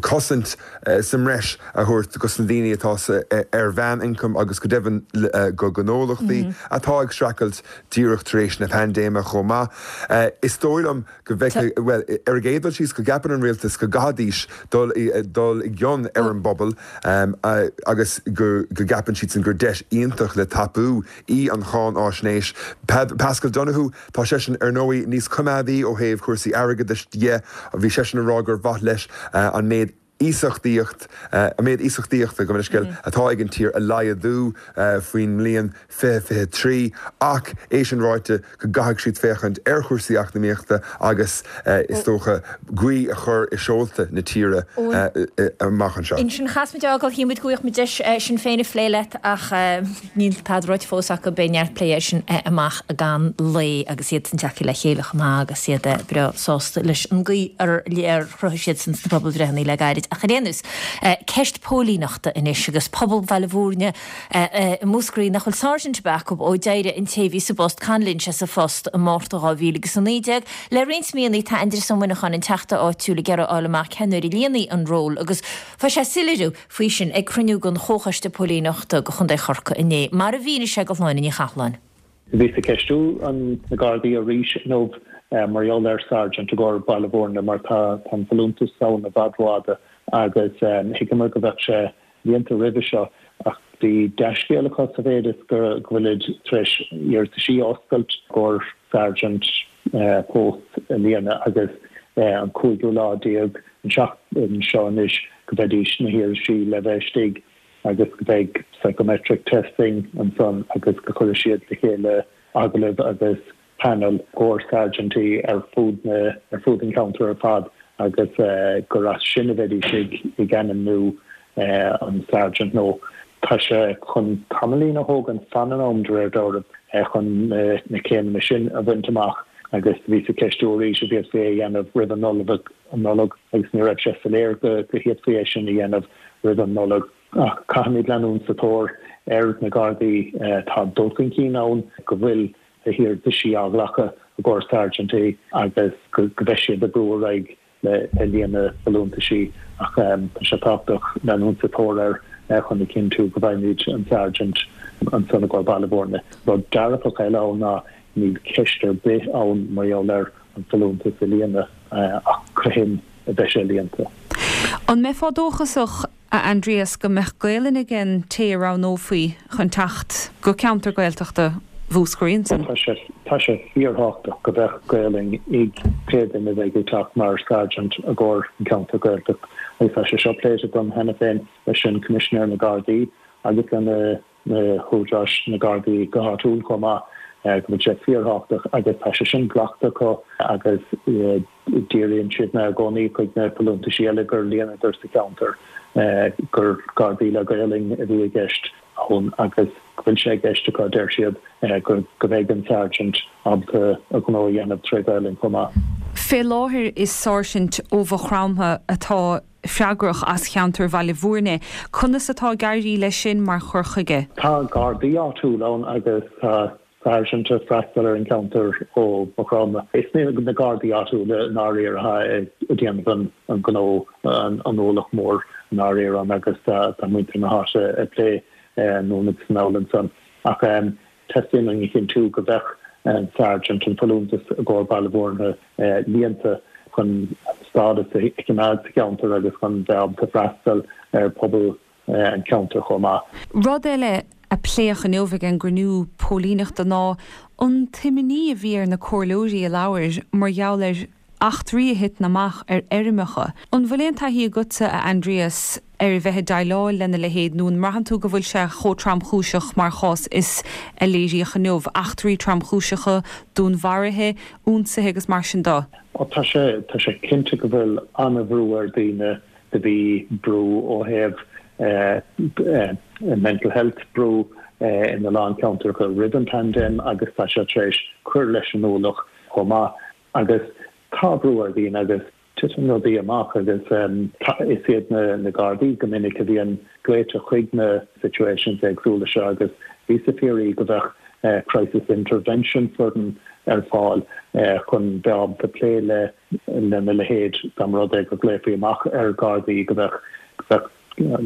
Speaker 7: cosaint sa mbreis a thabhairt dos na daoine atá ar mheánioncam agus go deimhin go gnólachtaí atá ag streachailt díreach tar éis na paindéime chomh maith. Is dóigh liom go bhfeicfidh, bhuel, ar an gcéad dul síos, go gceapann an rialtas go gcaithfidís dul dul i gcion ar an bpobal agus go gceapann siadsan gur deis iontach le tapú í an cháináisnéis. Paschal Donohoe, tá seisean, ar ndóigh, níos coimeádaí ó thaobh cúrsaí airgeadais dhe. Bhí seisean ag rá gur mhaith leis an méid iasachtaíocht, an méid iasachtaíochta, gabh mo leithscéal, atá ag an tír a laghdú faoin mbliain 2023 ach é sin ráite go gcaithfidh siad féachaint ar chúrsaí eacnamaíochta agus is dócha gaoth a chur i seolta na tíre amach anseo.
Speaker 1: Ansin chas muid a fhágáil, shíl muid go bhfaigheadh muid deis Sinn Féin a phlé leat ach níl tada ráite fós acu, beidh neart plé air sin amach i gceann lae agus iadsan tagtha le chéile chomh maith agus iad breá sásta leis an gcaoi ar chruthaigh siadsan sna pobalbhreitheanna le gairid. Ach ar aon nós, ceist póilíneachta anois agus pobal Bhaile Bhúirne i Múscraí nach bhfuil sáirsint ar bith acu ó d'éirigh an té a bhí sa bpost, Con Lynch, as a phost i Márta 2019. Le roinnt míonna tá Aindrias Ó Muineacháin, an teachta áitiúil, ag iarraidh a fháil amach cén uair a líonfaí an ról agus fuair sé soiléiriú faoi sin ag cruinniú den Chomhchoiste Póilíneachta do Chontae Chorcaí inné, mar a mhínigh sé do Shláine Ní Chathalláin.
Speaker 8: Bhíos ag ceistiú na Gardaí arís inniu mar gheall ar Sergeant i gcomhair Baile Bhúirne mar tá an folúntas ann i bhfad rófhada agus thuigeamar go bheadh sé líonta roimhe seo ach bhí dea-scéal acu sa mhéid is go bhfuilid tar éis iarrataisí a oscailt i gcomhair Sergeant post a líonadh agus an cúigiú lá déag an tseachtain seo anois go mbeidís na hiarrataisí le bheith istigh. agus go mbeidh psychometric testing ansan agus go gcuirfidh siad le chéile agallaimh agus panel i gcomhair sergeantí ar fud na, ar fud an cheantair ar fad agus gur as sin a bheidís ag, ag ainmniú an sergeant nó tá sé chun tamaillín a thógaint fan an am de réir dealraimh chun na céimeanna sin a bhaint amach agus bhíos ag ceistiú arís an bhféadfaí é a dhéanamh roimh an Nollaig agus ní raibh sé soiléir go bhféadfaí é sin a dhéanamh roimh an Nollaig. Ach caithfimid leanúint sa tóir ar na Gardaí. Tá dul chun cinn ann go bhfuil na hiarrataisí á nglacadh i gcomhair sáirsintí agus go mbeidh siad ag brú ar aghaidh le líonadh folúntaisí ach tá sé tábhachtach leanúint sa tóir air chun a chinntiú go bhfaighimid an Sergeant ansan i gcomhair Baile Bhúirne. Rud dearfach eile ann ná níl ceist ar bith ann mar gheall ar an folúntas a líonadh ach cathain a bheidh sé líonta.
Speaker 9: An mbeifeá dóchasach, a Aindrias, go mbeadh Gaelainn ag an té a roghnófaí chun teacht go ceantar Gaeltachta Mhúscraí ansan?
Speaker 8: Tá sé, tá sé fíorthábhachtach go mbeadh Gaelainn ag pé duine a bheidh ag teacht mar Sergeant i gcomhair an ceantar Gaeltacht agus tá sé seo pléite agam cheana féin leis an Coimisinéir na Gardaí agus lena na húdaráis, na Gardaí go háitiúil chomh maith, go bhfuil sé fíorthábhachtach agus tá sé sin glactha acu agus díríonn siad mé i gcónaí chuig na folúntaisí eile gur líonadar sa cheantar gur Gardaí le Gaolainn a bhí i gceist ann agus go bhfuil sé i gceist acu, deir siad, go mbeidh an Sergeant ábalta a ghnó a dhéanamh tré Ghaolainn chomh maith.
Speaker 9: Fé láthair is sáirsint ó Mhaigh Chromtha atá freagrach as cheantar Bhaile Bhúirne. Conas atá ag éirí leis sin mar chur chuige?
Speaker 8: Tá Gardaí áitiúil ann agus tá Sáirsint ag freastal ar an cheantar ó Mhaigh Chromtha. Is na Gardaí áitiúla i ndáiríre atá ag déanamh an gnó, an ualach mór i ndáiríre ann agus tá muintir na háite ag plé anonn agus anall ansan. Ach teastaíonn uainn a chinntiú go mbeadh an Sergeant, an folúntas i gcomhair Baile Bhúirne líonta chun an stádas a choimeád sa cheantar agus chun bheith ábalta freastal ar phobal an cheantair chomh maith.
Speaker 9: Rud eile a pléadh inniu ag an gcruinniú póilíneachta ná an t-imní a bhí ar na comhairleoirí a labhair mar gheall ar eachtraí a thiteann amach ar fheirmeacha. An bhfuil aon taithí agatsa, a Aindrias, ar a bheith ag déileáil lena leithéid nó an mbraitheann tú go bhfuil sé chomh tromchúiseach mar chás is a léiríodh inniu, eachtraí tromchúiseacha, dúnmharuithe, ionsaithe agus mar sin de?
Speaker 8: Ó tá sé, tá sé cinnte go bhfuil an-bhrú ar daoine, do bhí brú ó thaobh mental health, brú ina lán ceantracha roimh an paindéim agus tá sé tar éis cur leis an ualach chomh maith. Agus tá brú ar dhaoine agus titeann rudaí amach agus is iad na Gardaí go minic a bhíonn glaoite chuig na situations éagsúla seo agus bhíos ag fiafraí go mbeadh crisis intervention foireann ar fáil chun bheith ábalta plé le lena leithéid dá mba rud é go nglaofaí amach ar Ghardaí go mbeadh go mbeadh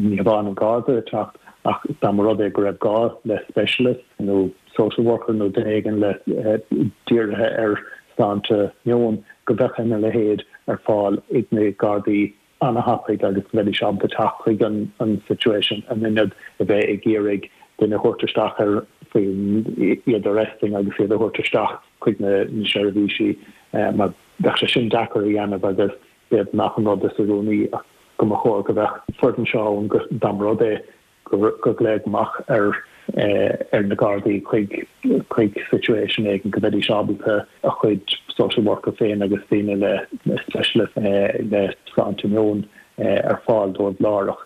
Speaker 8: ní hamháin an Garda ag teacht ach dá mba rud é go raibh gá le specialist nó social worker nó duine éigin le dírithe ar sláinte meoin go mbeadh a leithéid ar fáil ag na Gardaí an-thapaidh agus go mbeidís ábalta teacht chuig an situation in ionad a bheith ag iarraidh duine a thabhairt isteach ar faoi iad arresting agus iad a thabhairt isteach chuig na seirbhísí mar bheadh sé sin deacair a dhéanamh agus b'fhéidir nach an rud is oiriúnaí ach go mba chóir go mbeadh foireann seo ann go dá mba rud é go glaodh amach ar ar na Gardaí chuig chuig situation éigin go mbeidís ábalta a chuid social worker féin agus daoine le specialist le sláinte meoin ar fáil dóibh láithreach.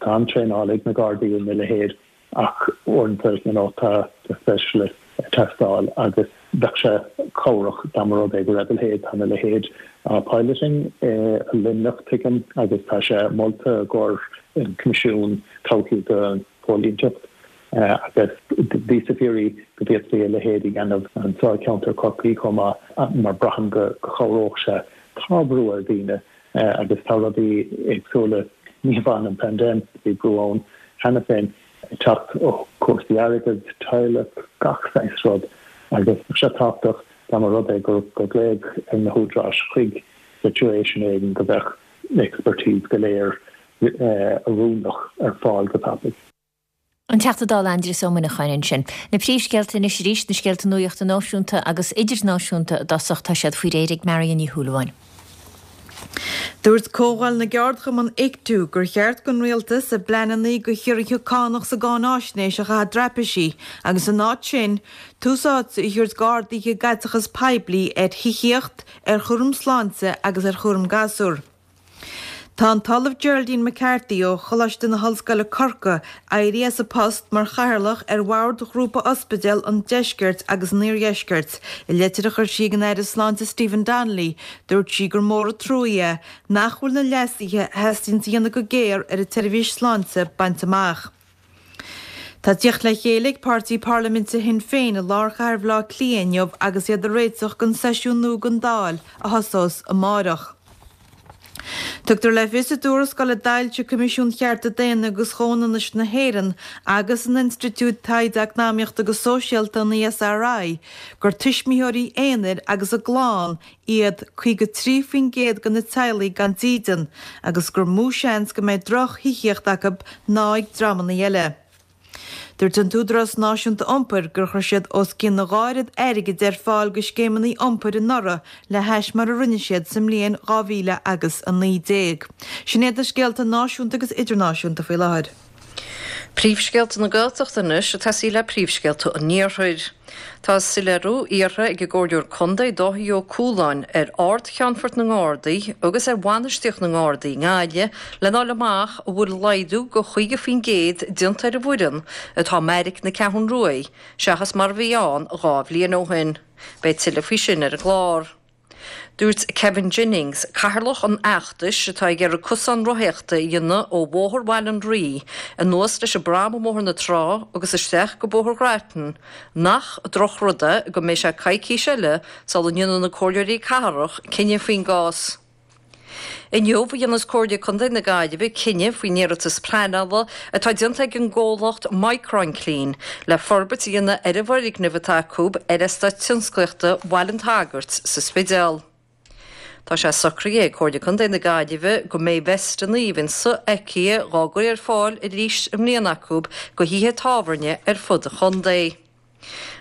Speaker 8: Tá an-traenáil ag na Gardaí ina leithéid Ach uaireanta, you know, tá specialist ag teastáil agus bheadh sé cabhrach dá mba rud é go raibh a leithéid, tá a leithéid á piloting i Luimneach, tuigim, agus tá sé molta i gcomhair an Coimisiún Todhchaí don Phóilíneacht agus bhíos ag fiafraí go bhféadfaí a leithéid a dhéanamh anseo i gceantar Chorcaí chomh maith mar braithim go chabhródh sé. Tá brú ar dhaoine agus tá rudaí éagsúla, ní hamháin an paindéim, bhí brú ann cheana féin, ag teacht ó chúrsaí airgid, teaghlach, gach saghas rud agus bheadh sé tábhachtach dá mba rud é gur glaodh ar na húdaráis chuig situation éigin go mbeadh expertise go léir oiriúnach ar fáil go tapaidh.
Speaker 1: An Teachta Dála Aindrias Ó Muineacháin ansin. Na príomhscéalta anois arís, na scéalta nuachta náisiúnta agus idirnáisiúnta i dtosach, tá siad faoi réir ag Marion Ní Shúilleabháin.
Speaker 2: Dúirt Comhdháil na gCeardchumann Ictu gur cheart don Rialtas a bpleananna do chiorruithe cánach sa gcáináisnéis a chaitheamh i dtraipisí agus in áit sin, tús áite a thabhairt d'arduithe i gcaiteachas poiblí ar thithíocht, ar chúram sláinte agus ar chúram gasúr. Tá an tOllamh Geraldine McCarthy ó Choláiste na hOllscoile Corcaigh éirithe as a post mar chathaoirleach ar Bhord Ghrúpa Ospidéal an Deiscirt agus an Iardheiscirt. I litir a chuir sí ag an Aire Sláinte Stephen Donnelly, dúirt sí gur mór an truaí é nach bhfuil na leasuithe a theastaíonn a dhéanamh go géar ar an tseirbhís sláinte bainte amach. Tá tíocht le chéile ag páirtí parlaiminte Shinn Féin i lár chathair Bhaile Átha Cliath inniu agus iad ag réiteach don seisiún nua den Dáil a thosós amárach. Tugtar le fios i dtuarascáil a d'fhoilsigh Coimisiún Chearta Daonna agus Chomhionannais na hÉireann agus an Institiúid Taighde Eacnamaíochta agus Sóisialta, an ESRI, gur tuismitheoirí aonair agus a gclann iad 53% de na teaghlaigh gan dídean agus gur mó seans go mbeidh droch-thithíocht acu ná ag dreamanna eile. Dúirt an tÚdarás Náisiúnta Iompair gur chuir siad os cionn a dhá oiread airgid ar fáil do scéimeanna iompair anuraidh le hais mar a rinne siad sa mbliain 2000 agus 19. Sin iad na scéalta náisiúnta agus idirnáisiúnta faoi láthair.
Speaker 3: Príomhscéalta na Gaeltachta anois ag tosaí le príomhscéalta an Iarthair. Tá soiléiriú iarrtha ag an gComhairleoir Contae Dáithí Ó Cualáin ar Ard-Cheannfort na nGardaí agus ar bhainistíocht na nGardaí i nGaillimh lena fháil amach an bhfuil laghdú de 50% déanta ar an bhfoireann atá i mbeairic na Ceathrún Ruaidh seachas mar a bhí ann 2 bhliain ó shin. Beidh tuilleadh faoi sin ar an gclár. Dúirt Kevin Jennings, cathaoirleach an fheachtais atá ag iarraidh cosán rothaíochta a dhéanamh ó Bhóthar Bhaile an Rí anuas leis an bpram i mBóthar na Trá agus isteach go Bóthar Ghrattan, nach drochrud é go mbeidh sé coicís eile sula ndéanfaidh na comhairleoirí cathrach cinneadh faoin gcás. Inniu a dhéanfas Comhairle Contae na Gaillimhe cinneadh faoin iarratas pleanála atá déanta ag an gcomhlacht Micronclean le forbairt a dhéanamh ar an bhfoirgneamh atá acu ar Eastát Tionsclaíochta Bhaile an tSagairt sa Spidéal. Tá sé socraithe ag Comhairle Contae na Gaillimhe go mbeidh veisteanna a bhíonn sofheicthe dhá gcur ar fáil arís i mbliana acu go thithe tábhairne ar fud an chontae.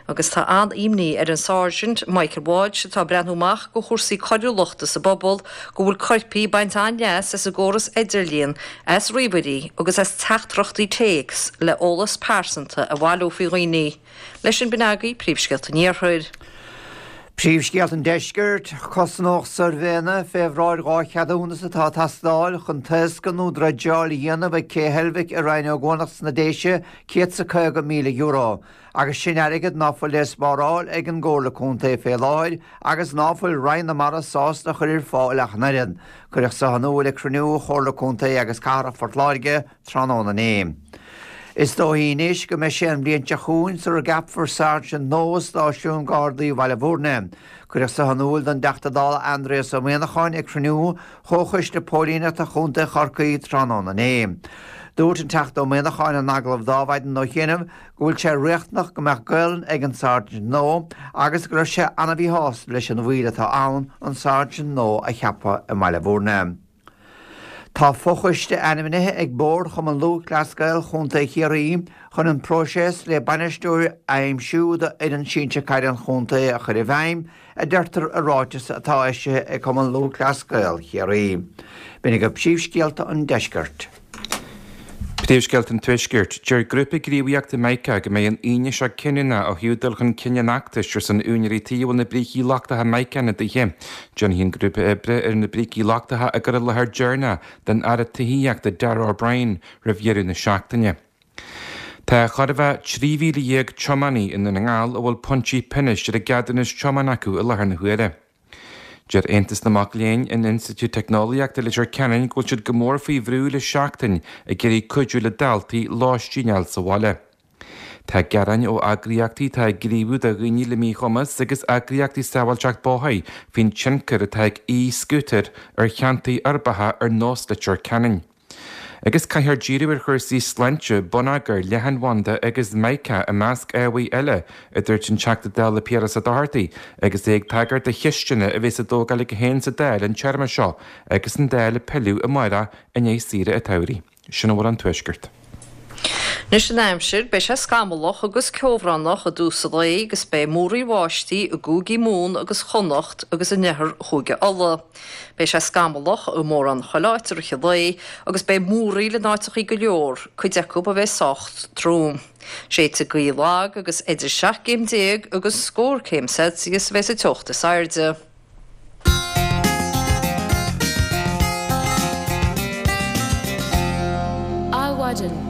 Speaker 3: Agus tá an-imní ar an Sáirsint Michael Walsh, atá ag breathnú amach go chúrsaí coiriúlachta sa bpobal, go bhfuil coirpigh ag baint an-leas as an gcóras idirlíon, as ríomhairí agus as teachtaireachtaí téacs le eolas pearsanta a bhailiú faoi dhaoine. Leis sin b'in agaibh príomhscéalta an Iarthair.
Speaker 4: Príomhscéalta an Deiscirt, Cosnódh suirbhéanna fé bhráid 2 cheadúnas atá ag teastáil chun taoscadh nó dreideáil a dhéanamh ag Cé Heilbhic i Rinn Ó gCuanach sna Déise €150,000. Agus sin airgead ná fuil le spáráil ag an gComhairle Contae fé láthair agus ná fuil Roinn na Mara sásta a chur ar fáil ach an oiread. Cuireadh so in iúl ag cruinniú Chomhairle Contae agus Cathrach Phort Láirge tráthnóna inné. Is dóichí anois go mbeidh sé an bhliain seo chugainn sara gceapfar sáirsint nua i stáisiún Gardaí Bhaile Bhúirne. Cuireadh so in iúl don dTeachta Dála Aindrias Ó Muimhneacháin ag cruinniú Chomhchoiste Póilíneachta Chontae Chorcaí tráthnóna inné. Dúirt an Teachta Ó Muimhneacháin in agallamh dó Adhmhaidin ó chianaibh go bhfuil sé riachtanach go mbeadh Gaolainn ag an sáirsint nua agus go raibh sé ana-mhíshásta leis an mhoill atá ann an sáirsint nua a cheapadh i mBaile Bhúirne. Tá fochoiste ainmnithe ag Bord Chumann Lúthchleas Gael Chontae Chiarraí chun an próiseas le bainisteoir a aimsiú do fhoireann sinsir caide an chontae a chur i bhfeidhm, a deirtear i ráiteas atá eisithe ag Cumann Lúthchleas Gael Chiarraí. B'in agaibh príomhscéalta an deiscirt.
Speaker 5: Príomhscéalta an Tuaiscirt. Deir grúpa gníomhaíochta Mica go mbeidh an Aoine seo cinniúnach ó thaobh dul chun cinn an fheachtais ar son úinéirí tí a bhfuil na brící lochtacha Mica ina dtithe. Déanfaidh an grúpa oibre ar na brící lochtacha a gcur i láthair deireanach don Aire Tithíochta Darragh O'Brien roimh dheireadh na seachtaine. Tá chóir a bheith 13,000 tiománaí i nDún na nGall a bhfuil pointí pionóis ar a gceadúnas tiomána acu i láthair na huaire. Deir Aontas na Mac Léinn in Institiúid Teicneolaíochta Leitir Ceanainn go bhfuil siad go mór faoi bhrú le seachtain ag iarraidh cuidiú le daltaí lóistín a fháil sa bhaile. Tá gearáin ó eagraíochtaí atá ag gníomhú do dhaoine le míchumas agus eagraíochtaí sábháilteacht bóthair faoin tionchar atá ag e-scútair ar cheantair uirbeacha ar nós Leitir Ceanainn. Agus caithfear díriú ar chúrsaí sláinte, bonneagair, leathanbhanda agus Mica i measc ábhair eile, a dúirt an Teachta Dála Piaras Ó Dochartaigh agus é ag tagairt do cheisteanna a bheas á dtógáil aige féin sa Dáil an téarma seo agus an Dáil ag pilleadh amárach i ndiaidh saoire an tsamhraidh. Sin a bhfuil ón Tuaisceart.
Speaker 3: Anois an aimsir, beidh sé scamallach agus ceobhránach i dtús an lae agus beidh múraíl bháistí i gcúigí Mumhan agus Chonnacht agus in oirthear Chúige Uladh. Beidh sé scamallach i mórán chuile áit i rith an lae agus beidh múraíl in áiteachaí go leor, cuid acu a bheidh sách trom. Séidfidh gaoth lag agus idir 17 gcéim agus scór céim Celsius a bheidh sa teocht is airde.
Speaker 1: Adhmhaidin.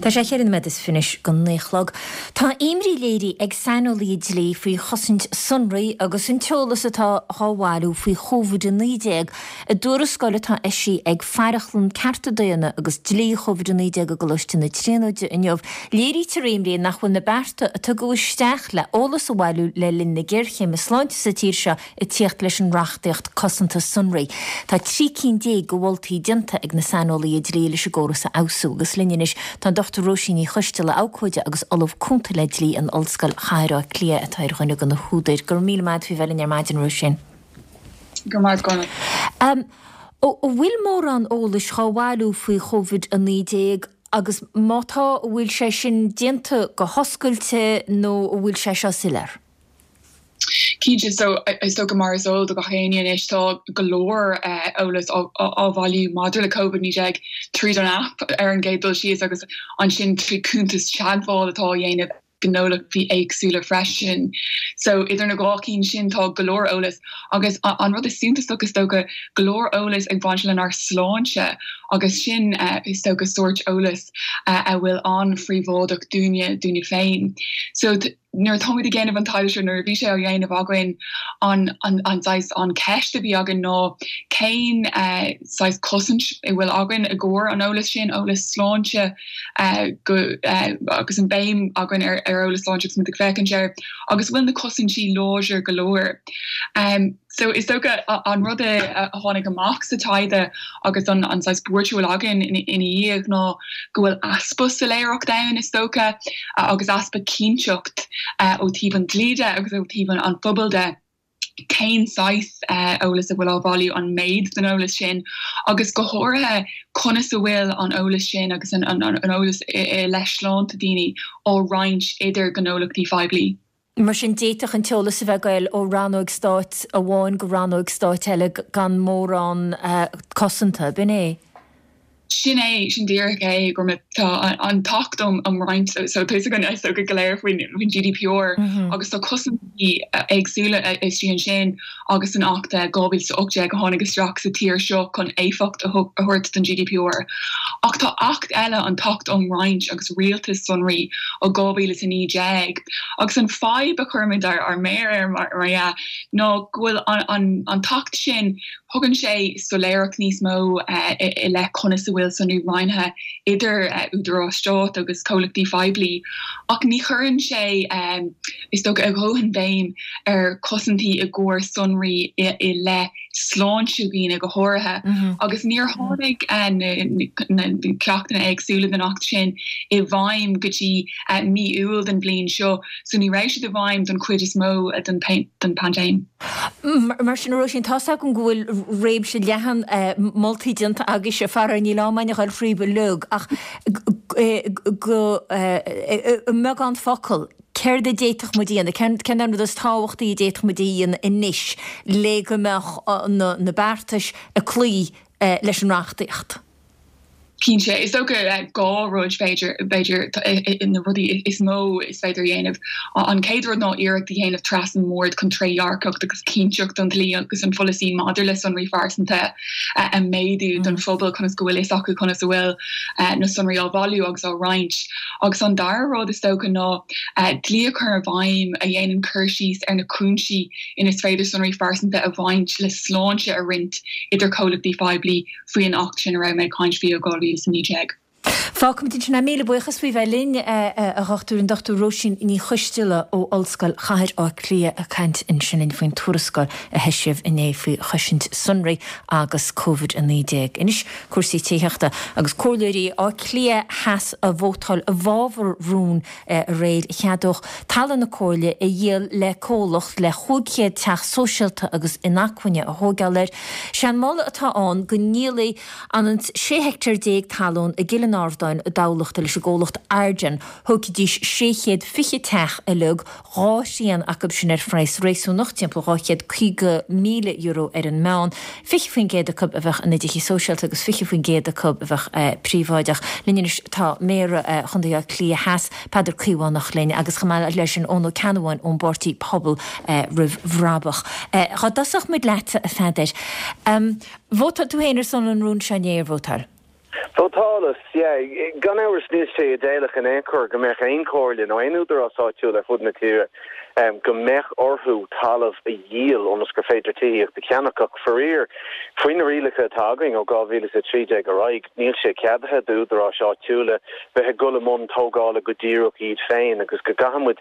Speaker 1: Tá sé cheithre nóiméad is fiche go naoi a chlog. Tá imní léirithe ag saineolaithe dlí faoi chosaint sonraí agus an t-eolas atá dhá bhailiú faoi Covid-19 i dtuarascáil atá eisithe ag Faireachlann Cearta Daonna agus Dlí Covid-19 i gColáiste na Tríonóide inniu. Léirítear imní nach bhfuil na bearta a tugadh isteach le eolas a bhailiú le linn na géarchéime sláinte sa tír seo ag tíocht leis an reachtaíocht cosanta sonraí. Tá 13 cinn de mholtaí déanta ag na saineolaithe dlí leis an gcóras a fheabhsú agus linn anois tá an Dr Róisín Ní Choisteala, abhcóide agus Ollamh Cúnta le Dlí in Ollscoil Chathair Átha Cliath atá ar dhuine de na húdair. Go raibh míle maith agat faoi bheith linn ar maidin, Róisín.
Speaker 10: Go raibh maith agat.
Speaker 1: An bhfuil mórán eolais dhá bhailiú faoi Chovid-19 agus má tá, an bhfuil sé sin déanta go hoscailte nó an bhfuil sé seo soiléir?
Speaker 10: Cinnte, so is dócha mar is eol do gach éinne anois tá go leor eolas á bhailiú maidir le Covid-19 tríd an aip ar an gcéad dul síos agus ansin trí cuntais teagmháil atá á dhéanamh gnólachtaí éagsúla freisin. So idir na dhá cinn sin tá go leor eolas agus an rud is suntasach is dócha go leor eolas ag baint lenár sláinte agus sin is dócha sórt eolas a bhfuil an-phríobháideach dúinne, dúinne féin. So nuair atáimid ag déanamh an taighde seo, nuair a bhí sé á dhéanamh againn an an saghas an ceist a bhí againn ná cén saghas cosaint a bhfuil againn i gcomhair an eolas sin, eolas sláinte, go agus an béim againn ar eolas sláinte agus muid ag féachaint air, agus bhfuil na cosaintí láidir go leor. So is dócha an rud a tháinig amach sa taighde agus an saghas buairt a bhfuil againn ina dhiaidh ná go bhfuil easpa soiléireacht ann is dócha agus easpa cinnteacht ó taobh an dlí de agus ó taobh an phobail de. cén saghas eolas a bhfuil á bhailiú, an méid den eolas sin agus go háirithe conas a bhfuil an eolas sin agus an eolas i leith sláinte daoine á roinnt idir gnólachtaí phoiblí.
Speaker 1: Mar sin, d'fhéadfadh an t-eolas a bheith ag goil ó rannóg stáit amháin go rannóg stáit eile gan mórán cosanta, ab in é?
Speaker 10: Sin é, sin díreach é, go raibh, tá an tAcht um Roinnt, so tá fhios againn is dócha go léir faoin GDPR agus tá cosaintí éagsúla istigh ansin agus san Acht 2018 a tháinig isteach sa tír seo chun éifeacht a thabhairt don GDPR. Ach tá Acht eile, an tAcht um Roinnt agus Rialtas Sonraí ó 2019 agus an fadhb a chuirimid ár méar air mar dhea ná go bhfuil an tAcht sin Tugann sé soiléireacht níos mó i leith conas a bhfuil sonraí roinnthe idir údaráis stáit agus comhlachtaí poiblí, ach ní chuireann sé, is dócha, a dhóthain béim ar chosaintí i gcomhair sonraí i leith sláinte dhaoine go háirithe. Agus níor tháinig na ceachtanna éagsúla den Acht sin i bhfeidhm go dtí mí Iúil den bhliain seo, so ní raibh siad i bhfeidhm don chuid is mó den paindéim.
Speaker 1: Mar sin, a Róisín, tá's agam go bhfuil réimse leathan moltaí déanta agaibhse, faraor níl am againn a dhul thríob uilig, ach go i mbeagán focal, céard a d'fhéadfadh muid a dhéanamh, cén an rud is tábhachtaí a d'fhéadfadh muid a dhéanamh anois le go mbeadh na beartais ag cloí leis an reachtaíocht?
Speaker 10: Cinnte, is dócha 2 rud b'fhéidir, b'fhéidir, na rudaí is mó is féidir a dhéanamh. An chéad rud ná iarracht a dhéanamh trasna an bhoird chun trédhearcacht agus cinnteacht an dlí agus an pholasaí maidir le sonraí phearsanta a mhéadú don phobal conas go bhfuil fhios acu conas a bhfuil na sonraí á bhailiú agus á roinnt. Agus an dara rud is dócha ná dlí a chur i bhfeidhm a dhéanann cur síos ar na cúinsí ina is féidir sonraí phearsanta a bhaint le sláinte a roinnt idir comhlachtaí poiblí faoi an Acht sin a raibh mé ag caint faoi ó 2019.
Speaker 1: Fágfaimid ansin é. Míle buíochas faoi bheith linn, a Dhochtúir, an Dr Róisín Ní Choisteala ó Ollscoil Chathair Átha Cliath ag caint ansin linn faoin tuarascáil a heisíodh inné faoi chosaint sonraí agus Covid-19. Anois cúrsaí tithíochta agus comhairleoirí Átha Cliath Theas a vótáil i bhfabhar rún aréir a cheadódh talamh na Comhairle a dhíol le comhlacht le 500 teach sóisialta agus inacmhainne a thóigeáil air. Sé an moladh atá ann go ndíolfaí an 16 heictéar talún i gCill an Ardáin i dTamhlacht leis an gcomhlacht Arden. Thógfaidís 620 teach uilig, dhá thrian acu sin ar phraghas réasúnach, timpeall €250,000 ar an meán. 20% acu a bheadh ina dtithe sóisialta agus 20% acu a bheadh príobháideach. Linn anois tá Méara Chontae Átha Cliath Theas, Peadar Caomhánach linn agus chomh maith leis sin Eoin Ó Ceannabháin ón bpáirtí Pobal Roimh Bhrabach. Dhá dtosódh muid leatsa, a Pheadair. Vótáil tú féin ar son an rúin seo inné, ar vótáil?
Speaker 11: Vótálas, yeah. Gan amhras níl sé idéalach in aon chor go mbeadh aon chomhairle nó aon údarás áitiúil ar fud na tíre go mbeadh orthu talamh a dhíol ionas gur féidir tithíocht a cheannach ach faraor faoi na rialacha atá againn ó 2013 ar aghaidh níl sé ceadaithe d'údaráis áitiúla bheith ag dul i mbun tógála go díreach iad féin agus go gcaithfidh muid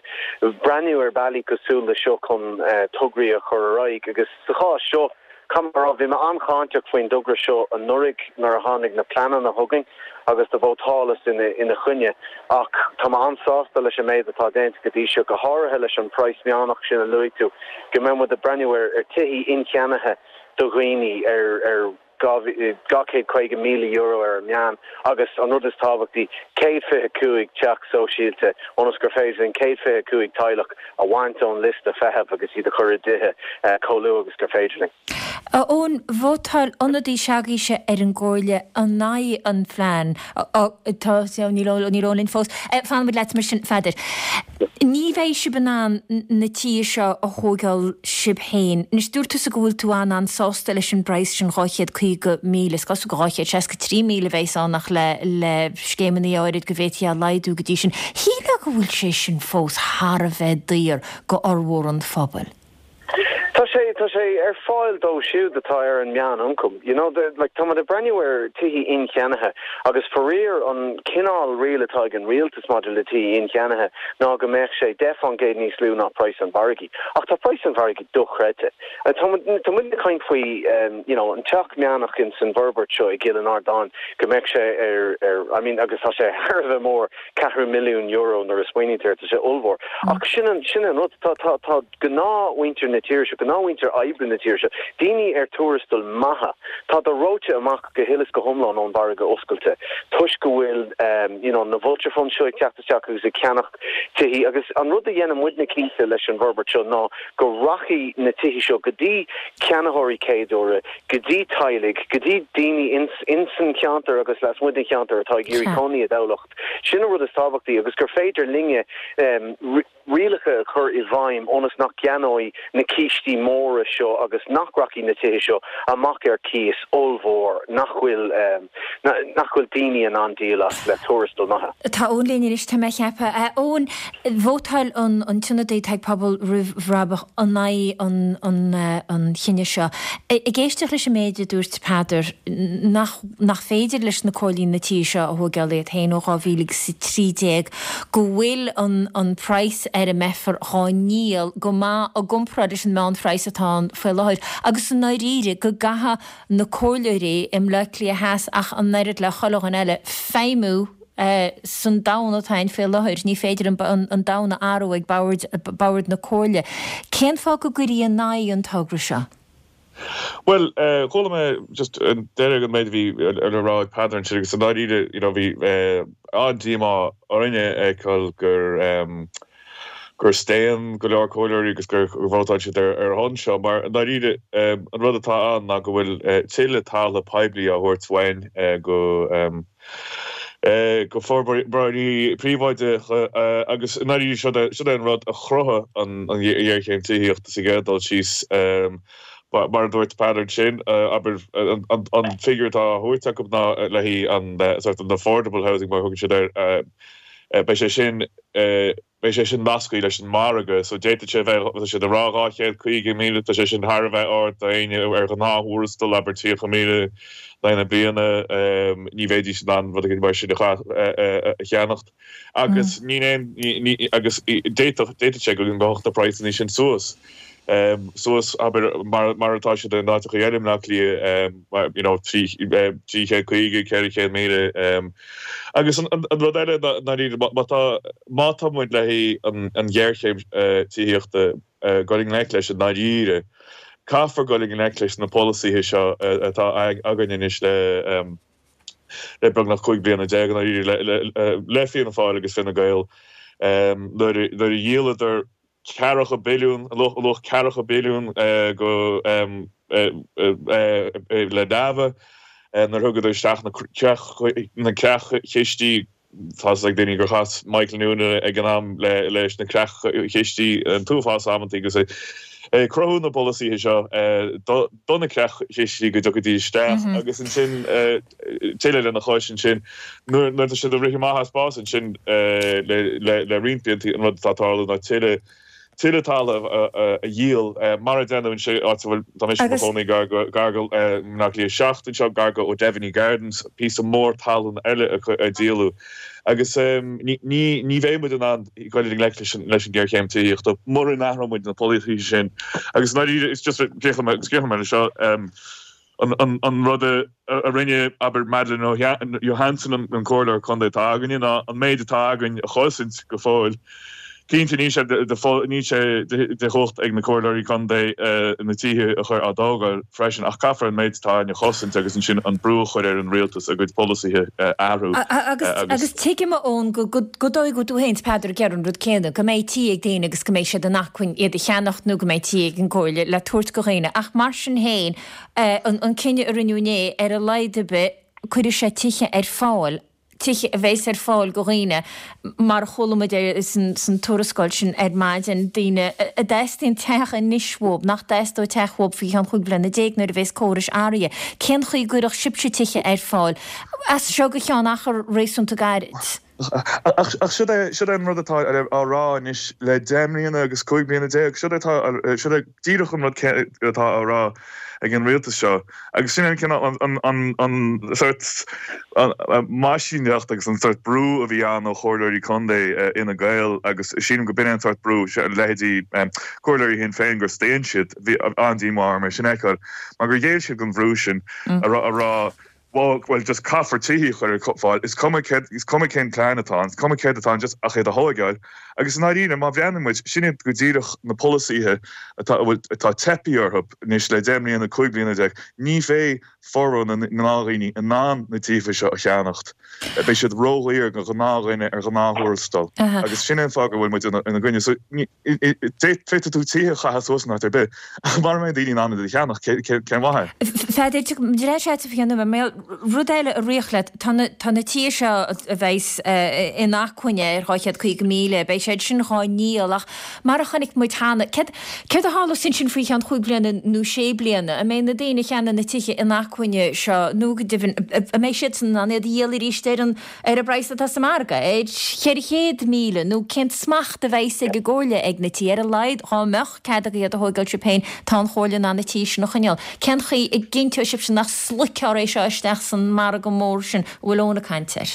Speaker 11: breathnú ar bealaí cosúil le seo chun tograí a chur ar aghaidh agus sa chás seo Caithfidh mé a rá, bhí mé an-cháinteach faoin dtogra seo anuraidh nuair a tháinig na pleananna chugainn agus do vótálas ina choinne ach tá mé an-sásta leis an méid atá déanta go dtí seo, go háirithe leis an praghas meánach sin a luaigh tú, go mbeidh muid ag breathnú ar tithí incheannaithe do dhaoine ar €250,000 ar an meán agus an rud is tábhachtaí, 125 teach sóisialta ionas gur féidir linn 125 teaghlach a bhaint ón liosta feithimh agus iad a chur i dtithe chomh luath agus gur féidir linn.
Speaker 1: A Eoin, vótáil ionadaí se'agaibhse ar an gComhairle in aghaidh an phlean. Tá, níl Eoin linn fós. Fanfaimid leat mar sin, a Pheadair. Ní bheidh sibh in ann na tithe seo a thóigeáil sibh féin. Anois, dúirt tusa go bhfuil tú an-an-sásta leis an bpraghas sin, 250,000, is cosúil gur 263,000 a bheas ann ach le le scéimeanna áirid go bhféadfaí é a laghdú go dtí sin. Shílfeá go bhfuil sé sin fós thar a bheith daor go fhormhór an phobail.
Speaker 11: Tá sé, tá sé ar fáil dóibh siúd atá ar an meán-ioncam. You know, the, like, tá muid ag breathnú ar tithí incheannaithe agus faraor an cineál riail atá ag an rialtas maidir le tithí incheannaithe ná go mbeadh sé 10% níos lú ná praghas an mhargaidh. Ach tá praghas an mhargaidh dochreidte. Tá muid, tá muid ag caint faoi, you know, an teach meánach in san bhforbairt seo i gCill an Ardáin go mbeadh sé ar, ar, I mean, agus tá sé thar a bheith mór, ceathrú milliún euro nuair a smaoiníonn tú air, tá sé ollmhór. Ach sin an, sin an rud, tá, tá, tá gnáthmhuintir na tíre seo, gnáth. gnáthmhuintir oibre na tíre seo, daoine ar tuarastail maithe, tádar reoite amach go huile is go hiomlán ón mhargadh oscailte toisc go bhfuil you know na vulture funds seo ag teacht isteach agus ag ceannach tithí agus an rud a dhéanann muidne cinnte leis an bhforbairt seo ná go rachaidh na tithí seo go dtí ceannaitheoirí céaduaire, go dtí teaghlaigh, go dtí daoine ins ins an cheantar agus lasmuigh den cheantar atá ag iarraidh cónaí i dTamhlacht. Sin an rud is tábhachtaí agus gur féidir linne rialacha a chur i bhfeidhm ionas nach gceannóidh na cístí móra seo agus nach rachaidh na tithe seo amach ar cíos ollmhór nach bhfuil nach bhfuil daoine in ann díol as le tuarastal maithe.
Speaker 1: Tá Eoin linn anois, tá mé a cheapadh. A Eoin, vótáil an an t-ionadaí atá ag Pobal Roimh Bhrabach in aghaidh an an an chinnidh seo. Ag éisteacht leis an méid a dúirt Peadar, nach nach féidir leis na comhairlí na tithe seo a thóigeáil iad féin ó 2013, go bhfuil an an praghas ar a mbeifear dhá ndíol go maith i gcomparáid leis an meánphraghas atá ann faoi láthair agus i ndáiríre go gcaithfidh na comhairleoirí i mBleá Cliath Theas ach an oiread le chuile dhuine eile, feidhmiú san domhan atá ann faoi láthair. Ní féidir an domhan a athrú ag bord na comhairle. Cén fáth go gcuirí in aghaidh an togra seo?
Speaker 12: Bhuel, chuala mé just an deireadh den méid a bhí le rá ag Peadar ansin agus i ndáiríre, you know, bhí an-díomá orainne a fheiceáil gur, gur staon go leor comhairleoirí agus gur vótáil siad ar a shon seo mar i ndáiríre an rud atá ann ná go bhfuil tuilleadh talamh poiblí á thabhairt uainn go go forbróirí príobháideacha agus i ndáiríre siod é siod é an rud a chruthaigh an ghéarchéim tithíochta sa gcéad dul síos mar a dúirt Peadar ansin abair an figiúr atá á thabhairt acu ná le haghaidh an sort an affordable housing mar a thugann siad air beidh sé sin beidh sé sin nasctha leis an margadh so d'fhéadfadh sé a bheith, tá siad ag rá 250,000, tá sé sin thar a bheith ard d'éinne ar ghnáth-thuarastal, abair 30,000 in aghaidh na bliana, ní bheidís in ann rud éigin mar sin a cheannacht agus níl aon, agus d'fhéadfadh, d'fhéadfadh sé go ngabhfadh na praghsanna sin suas. suas, abair, mar atá siad in áiteacha eile i mBleá Cliath, you know, 350, 400,000. Agus an rud eile i ndáiríre, má tá, má tá muid le haghaidh an ghéarchéim tithíochta dul i ngleic leis i ndáiríre, caithfear dul i ngleic leis na polasaithe seo atá againn anois le, le beagnach 15 bliana i ndáiríre, le Fianna Fáil agus Fine Gael, nuair a dhíoladar ceathracha billiún, luach ceathracha billiún go le Dáimh nuair thugadar isteach na creach-chistí. Tá 'fhios ag daoine gur chas Michael Noonan ag an am leis na creach-chistí an t-uafás amantaí agus é ag cruthú na bpolasaithe seo do na creach-chistí go dtiocfaidís isteach agus ansin tuilleadh lena chois ansin, nuair atá siad ag rith amach as spás ansin le roinnt blianta, an rud atá ag tarlú ná tuilleadh tuilleadh talaimh a dhíol, mar a déanadh anseo, áit a bhfuil, tá mise i mo chónaí gar go, gar go mBleá Cliath 7 anseo, gar go O'Devaney Gardens, píosa mór talún eile a díoladh. Agus ní, ní bheidh muid in ann dul i ngleic leis an, leis an ghéarchéim tithíochta mura n-athróidh muid na polasaithe sin. Agus i ndáiríre, is just, críochnóidh mé, críochnóidh mé leis seo, An rud a rinne, abair, Madeleine Johansson, an comhairleoir contae atá againne, ná an méid atá againn a chosaint go fóill. Cinnte, níl sé níl sé de chumhacht ag na comhairleoirí contae na tithe a chur á dtógáil freisin, ach caithfear an méid atá againn a chosaint agus ansin an brú a chur ar an rialtas a gcuid polasaithe a athrú
Speaker 1: agus. Agus tuigim, a Eoin, go dóigh go bhfuil tú féin is Peadar ag iarraidh an rud céanna, go mbeidh tí ag daoine agus go mbeidh siad in acmhainn iad a cheannacht nó go mbeidh tí ag an gcomhairle le tabhairt go dhaoine, ach mar sin féin, An cinneadh a rinneadh inné, ar a laghad ar bith, cuirfidh sé tithe ar fáil, tithe a bheas ar fáil go dhaoine, mar a chuala muid san tuarascáil sin ar maidin, daoine a dteastaíonn teach anois uathu, nach dteastóidh teach uathu faoi cheann 15 bliana nuair a bheas córais athraithe. Cén chaoi a gcuirfeadh sibhse tithe ar fáil as seo go ceann achar réasúnta gairid?
Speaker 12: Ach siod é, siod é an rud atá á rá anois le 10 mbliana agus 15 bliana, siod é atá, siod é díreach an rud céanna atá á rá ag an rialtas seo. Agus sin é an cineál, an, an, an sórt meaisíneacht agus an sórt brú a bhí ann ó chomhairleoirí contae Fhine Gael agus sílim go b'in é an sórt brú, leithéidí comhairleoirí Shinn Féin gur staon siad, bhí an-díomá orm é sin a fheiceáil, mar gur ghéill siad don bhrú sin a rá. Bhuel, just caithfear tithe a chur ar fáil, is cuma céard, is cuma cén plean atá ann, is cuma céard atá ann, just ach iad a thóigeáil. Agus i ndáiríre, má bhreathnaíonn muid, sin iad go díreach na polasaithe atá, a bhfuil, atá teipthe orthu anois le 10 mbliana, 15 bliana, ní bheidh formhór na ngnáthdhaoine in ann na tithe seo a cheannacht. Beidh siad ródhaor do ghnáthdhuine ar ghnáth-thuarastal. Agus sin é an fáth go bhfuil muid ina gcoinne. So, féadfaidh tú tithe a chaitheamh suas in áit ar bith, ach mara mbeidh daoine in ann iad a cheannach, cén mhaith é?
Speaker 1: Pheadair, ar ais agat faoi cheann nóiméad. Rud eile a rith leat, tá na tithe seo a bheas inacmhainne ar 250,000, beidh siad sin dhá ndíol ach mar a chonaic muid cheana, céard a tharlós ansin faoi cheann chúig bliana nó sé bliana? An mbeidh na daoine a cheannaigh na tithe inacmhainne seo nó go deimhin, an mbeidh siadsan in ann iad a dhíol arís ar an ar an bpraghas atá sa margadh, ar 400,000, nó cén smacht a bheas ag an gComhairle ag na tithe? Ar a laghad, dhá mbeadh cead agaibh iad a thóigeáil sibh féin, tá an Chomhairle in ann na tithe sin a choinneáil. Cén chaoi a gcinnteoidh sibhse nach sloigfear é seo isteach san margadh mór sin a bhfuil Eoin ag caint air?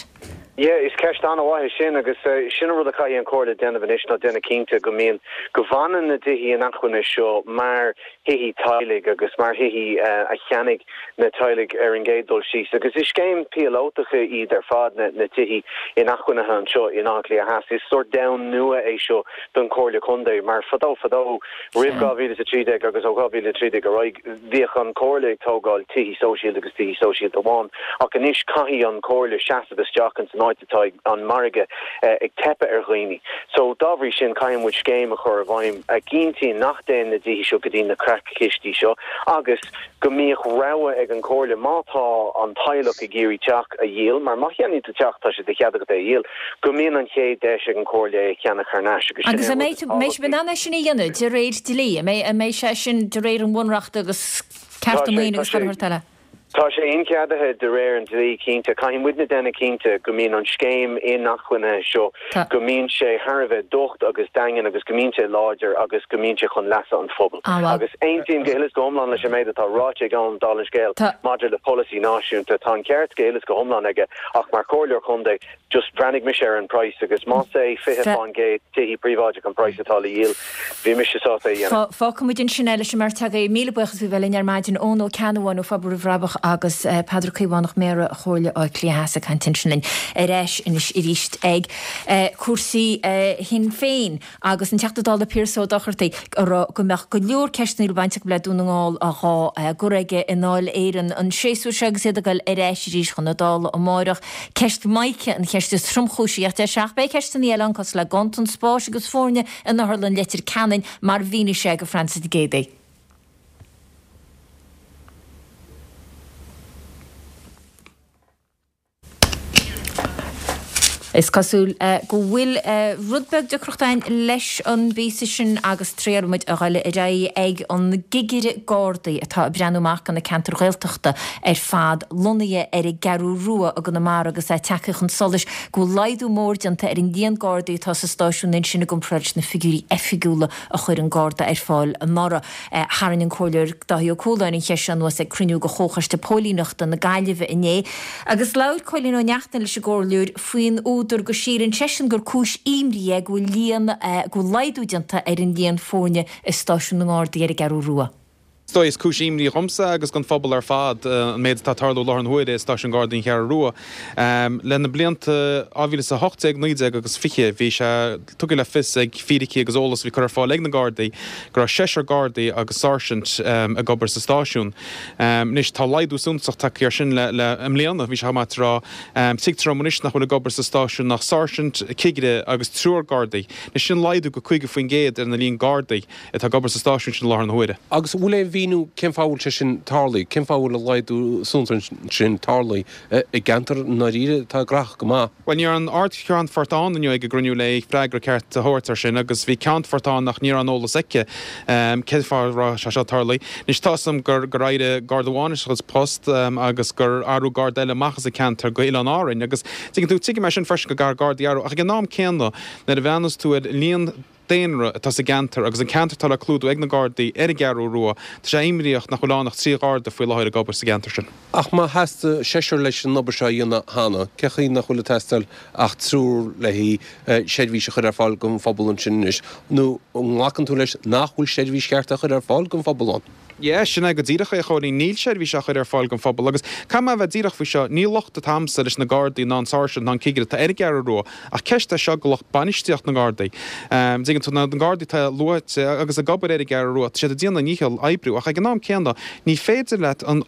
Speaker 11: Yeah, is ceist an-mhaith é sin agus sin an rud a chaithfidh an Chomhairle déanamh anois ná déanamh cinnte go mbíonn, go bhfanann na tithe inacmhainne seo mar thithe teaghlaigh agus mar thithe a cheannaigh na teaghlaigh ar an gcéad dul síos. Agus is scéim píolótach iad ar fad na tithe inacmhainne anseo in Áth Cliath Theas. Is sórt domhan nua é seo don Chomhairle Contae mar fadó fadó roimh 2013 agus ó 2013 ar aghaidh bhíodh an Chomhairle ag tógáil tithe sóisialta agus tithe sóisialta amháin ach anois caithfidh an Chomhairle seasamh isteach ins an áit atá an margadh ag teipeadh ar dhaoine. So, dá bhrí sin, caithfidh muid scéim a chur i bhfeidhm a gcinntíonn nach dtéann na tithe seo go dtí na creach-chistí seo agus go mbíodh rogha ag an Chomhairle má tá an teaghlach ag iarraidh teach a dhíol, mar má cheannaíonn tú teach tá sé de chead agat é a dhíol, go mbíonn an chéad deis ag an Chomhairle é a cheannach thar n-ais
Speaker 1: agus sin é an rud is tábhachtaí. Agus an mbeidh sibh in ann é sin a dhéanamh de réir dlí? An mbeidh sé sin de réir an Bhunreachta agus cearta maoine agus chuile shórt eile?
Speaker 11: Tá sé incheadaithe de réir an dlí, cinnte. Caithfidh muidne déanamh cinnte go mbíonn an scéim inacmhainne seo, go mbíonn sé thar a bheith docht agus daingean agus go mbíonn sé láidir agus go mbíonn sé chun leasa an phobail. Agus aontaím go huile is go hiomlán leis an méid atá ráite ag Eoin, dála an scéil, maidir le polasaí náisiúnta. Tá an ceart go huile is go hiomlán aige ach mar chomhairleoir contae, Just bhreathnaigh mise ar an praghas agus más é 20% tithí príobháideach an praghas atá le dhíol, bhí mise sásta é a dhéanamh.
Speaker 1: Fágfaidh muid ansin é leis an mbeirt agaibh. Míle buíochas faoi bheith linn ar maidin. Eoin Ó Ceannabháin ó Phobal Roimh Bhrabach agus Peadar Caomhánach, Méara Chomhairle Átha Cliath Theas ag caint ansin linn. Ar ais anois arís ag cúrsaí Shinn Féin. Agus an Teachta Dála Pearse Ó Dochartaigh ag rá go mbeadh go leor ceisteanna a bhfuil baint acu le Dún na nGall á gcur aige i nDáil Éireann an séasúr seo agus iad ag dul ar ais arís chun na Dála amáireach. Ceist Mica an cheist is tromchúisí ach deir sé ach beidh ceisteanna eile ann cosúil le ganntan spáis agus foirne in Otharlann Leitir Ceanainn mar a mhínigh sé go Frances Nic Géadaigh. Is cosúil go bhfuil rud beag deacracht againn leis an bpíosa sin agus triailfidh muid a dhul ar aghaidh ag an gcigire Gardaí atá ag breathnú amach do na ceantair Ghaeltachta ar fad lonnaithe ar an gCeathrú Rua i gConamara agus é tagtha chun solais go bhfuil laghdú mór déanta ar an líon Gardaí atá sa stáisiún ansin i gcomparáid leis na figiúirí oifigiúla a chuir an Garda ar fáil anuraidh. Tharraing an Comhairleoir Dáithí Ó Cualáin an cheist seo anuas ag cruinniú de Chomhchoiste Póilíneachta na Gaillimhe inné agus labhair Cóilín Ó Neachtain leis an gComhairleoir faoin údar go síleann seisean gur cúis imní é go bhfuil líon go bhfuil laghdú déanta ar an líon foirne i stáisiún na nGardaí ar an gCeathrú Rua.
Speaker 13: Is dóigh, is cúis imní dhomsa agus don phobal ar fad an méid atá ag tarlú i láthair na huaire i Stáisiún Gardaí an Cheathrú Rua. Le na blianta 2018, 19 agus 20 bhí sé tugtha le fios ag fíricí agus eolas a bhí curtha ar fáil ag na Gardaí go raibh seisear Gardaí agus sáirsint ag obair sa stáisiún. Anois tá laghdú suntasach tagtha air sin le i mbliana, bhí sé chomh maith tráth. Tuigtear dom anois nach bhfuil ag obair sa stáisiún ach sáirsint, cigire agus triúr Gardaí. Anois sin laghdú go 50% ar an líon Gardaí atá ag obair sa stáisiún sin i láthair na huaire.
Speaker 14: Agus an bhfuil aon mhíniú cén fáth a bhfuil sé sin tarlaithe? Cén fáth a bhfuil an laghdú suntasach sin tarlaithe i gceantar i ndáiríre atá gnóthach go maith?
Speaker 13: Bhuel, ní raibh an Ard-Cheannfort ann inniu ag an gcruinniú le freagra ceart a thabhairt air sin agus bhí Ceannfort ann ach ní raibh an eolas aici cén fáth a raibh sé seo tarlaithe. Anois tá 'fhios a'm gur gur éirigh Garda amháin as a post agus gur athrú Garda eile amach as an ceantar go Oileáin Árainn agus tuigeann tú, tuigim é sin freisin go gcaithfear Gardaí a athrú ach ag an am céanna nuair a bhreathnas tú ar líon daonra atá sa gceantar agus an ceantar atá le clúdú ag na Gardaí ar an gCeathrú Rua, tá sé imníoch nach bhfuil ann ach 3 Gharda faoi láthair ag obair sa gceantar sin.
Speaker 14: Ach má theastaigh seisear leis an obair seo a dhéanamh cheana, cén chaoi nach bhfuil ag teastáil ach triúr le seirbhís a chur ar fáil don phobal ansin anois? Nó an nglacann tú leis nach bhfuil seirbhís cheart á chur ar fáil don phobal ann?
Speaker 13: Yeah, sin é go díreach é, a Chóilín. Níl seirbhís á chur ar fáil don phobal agus caithfidh mé a bheith díreach faoi seo, ní locht atá a'msa leis na Gardaí ná an Sáirsint ná an Cigire atá ar an gCeathrú Rua ach ceist é seo do lucht bainistíocht na nGardaí. Dtuigeann tú, na Gardaí atá luaite agus ag obair ar an gCeathrú Rua, tá siad ag déanamh a ndícheall oibriú ach ag an am céanna ní féidir leat an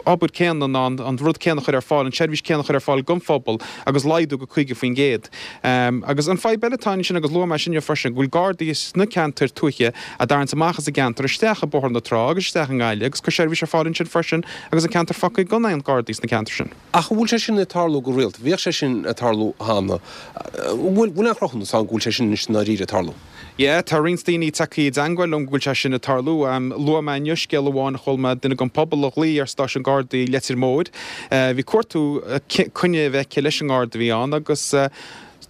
Speaker 13: obair céanna ná an rud céanna a chur ar fáil, an tseirbhís céanna a chur ar fáil don phobal agus laghdú go 50%. Agus an fadhb eile atá ansin agus luaigh mé sin inniu freisin, go bhfuil Gardaí sna ceantair tuaithe á dtarraingt amach as an gceantar isteach i Bóthar na Trá agus isteach i nGaillimh agus cur seirbhís ar fáil ansin freisin agus an ceantar fágtha gan aon Ghardaí sna ceantair sin.
Speaker 14: Ach an bhfuil sé sin ag tarlú go rialta? Bhíodh sé sin ag tarlú cheana. An bhfuil aon chruthúnas ann go bhfuil sé sin anois i ndáiríre ag tarlú?
Speaker 13: Yeah, tá roinnt daoine tagtha i dteangmháil liom go bhfuil sé sin ag tarlú. Luaigh mé inniu scéal amháin a chuala mé duine den phobal a ghlaoigh ar stáisiún Gardaí Leitir Móir. Bhí cuartú coinne a bheith aici leis an nGarda a bhí ann agus,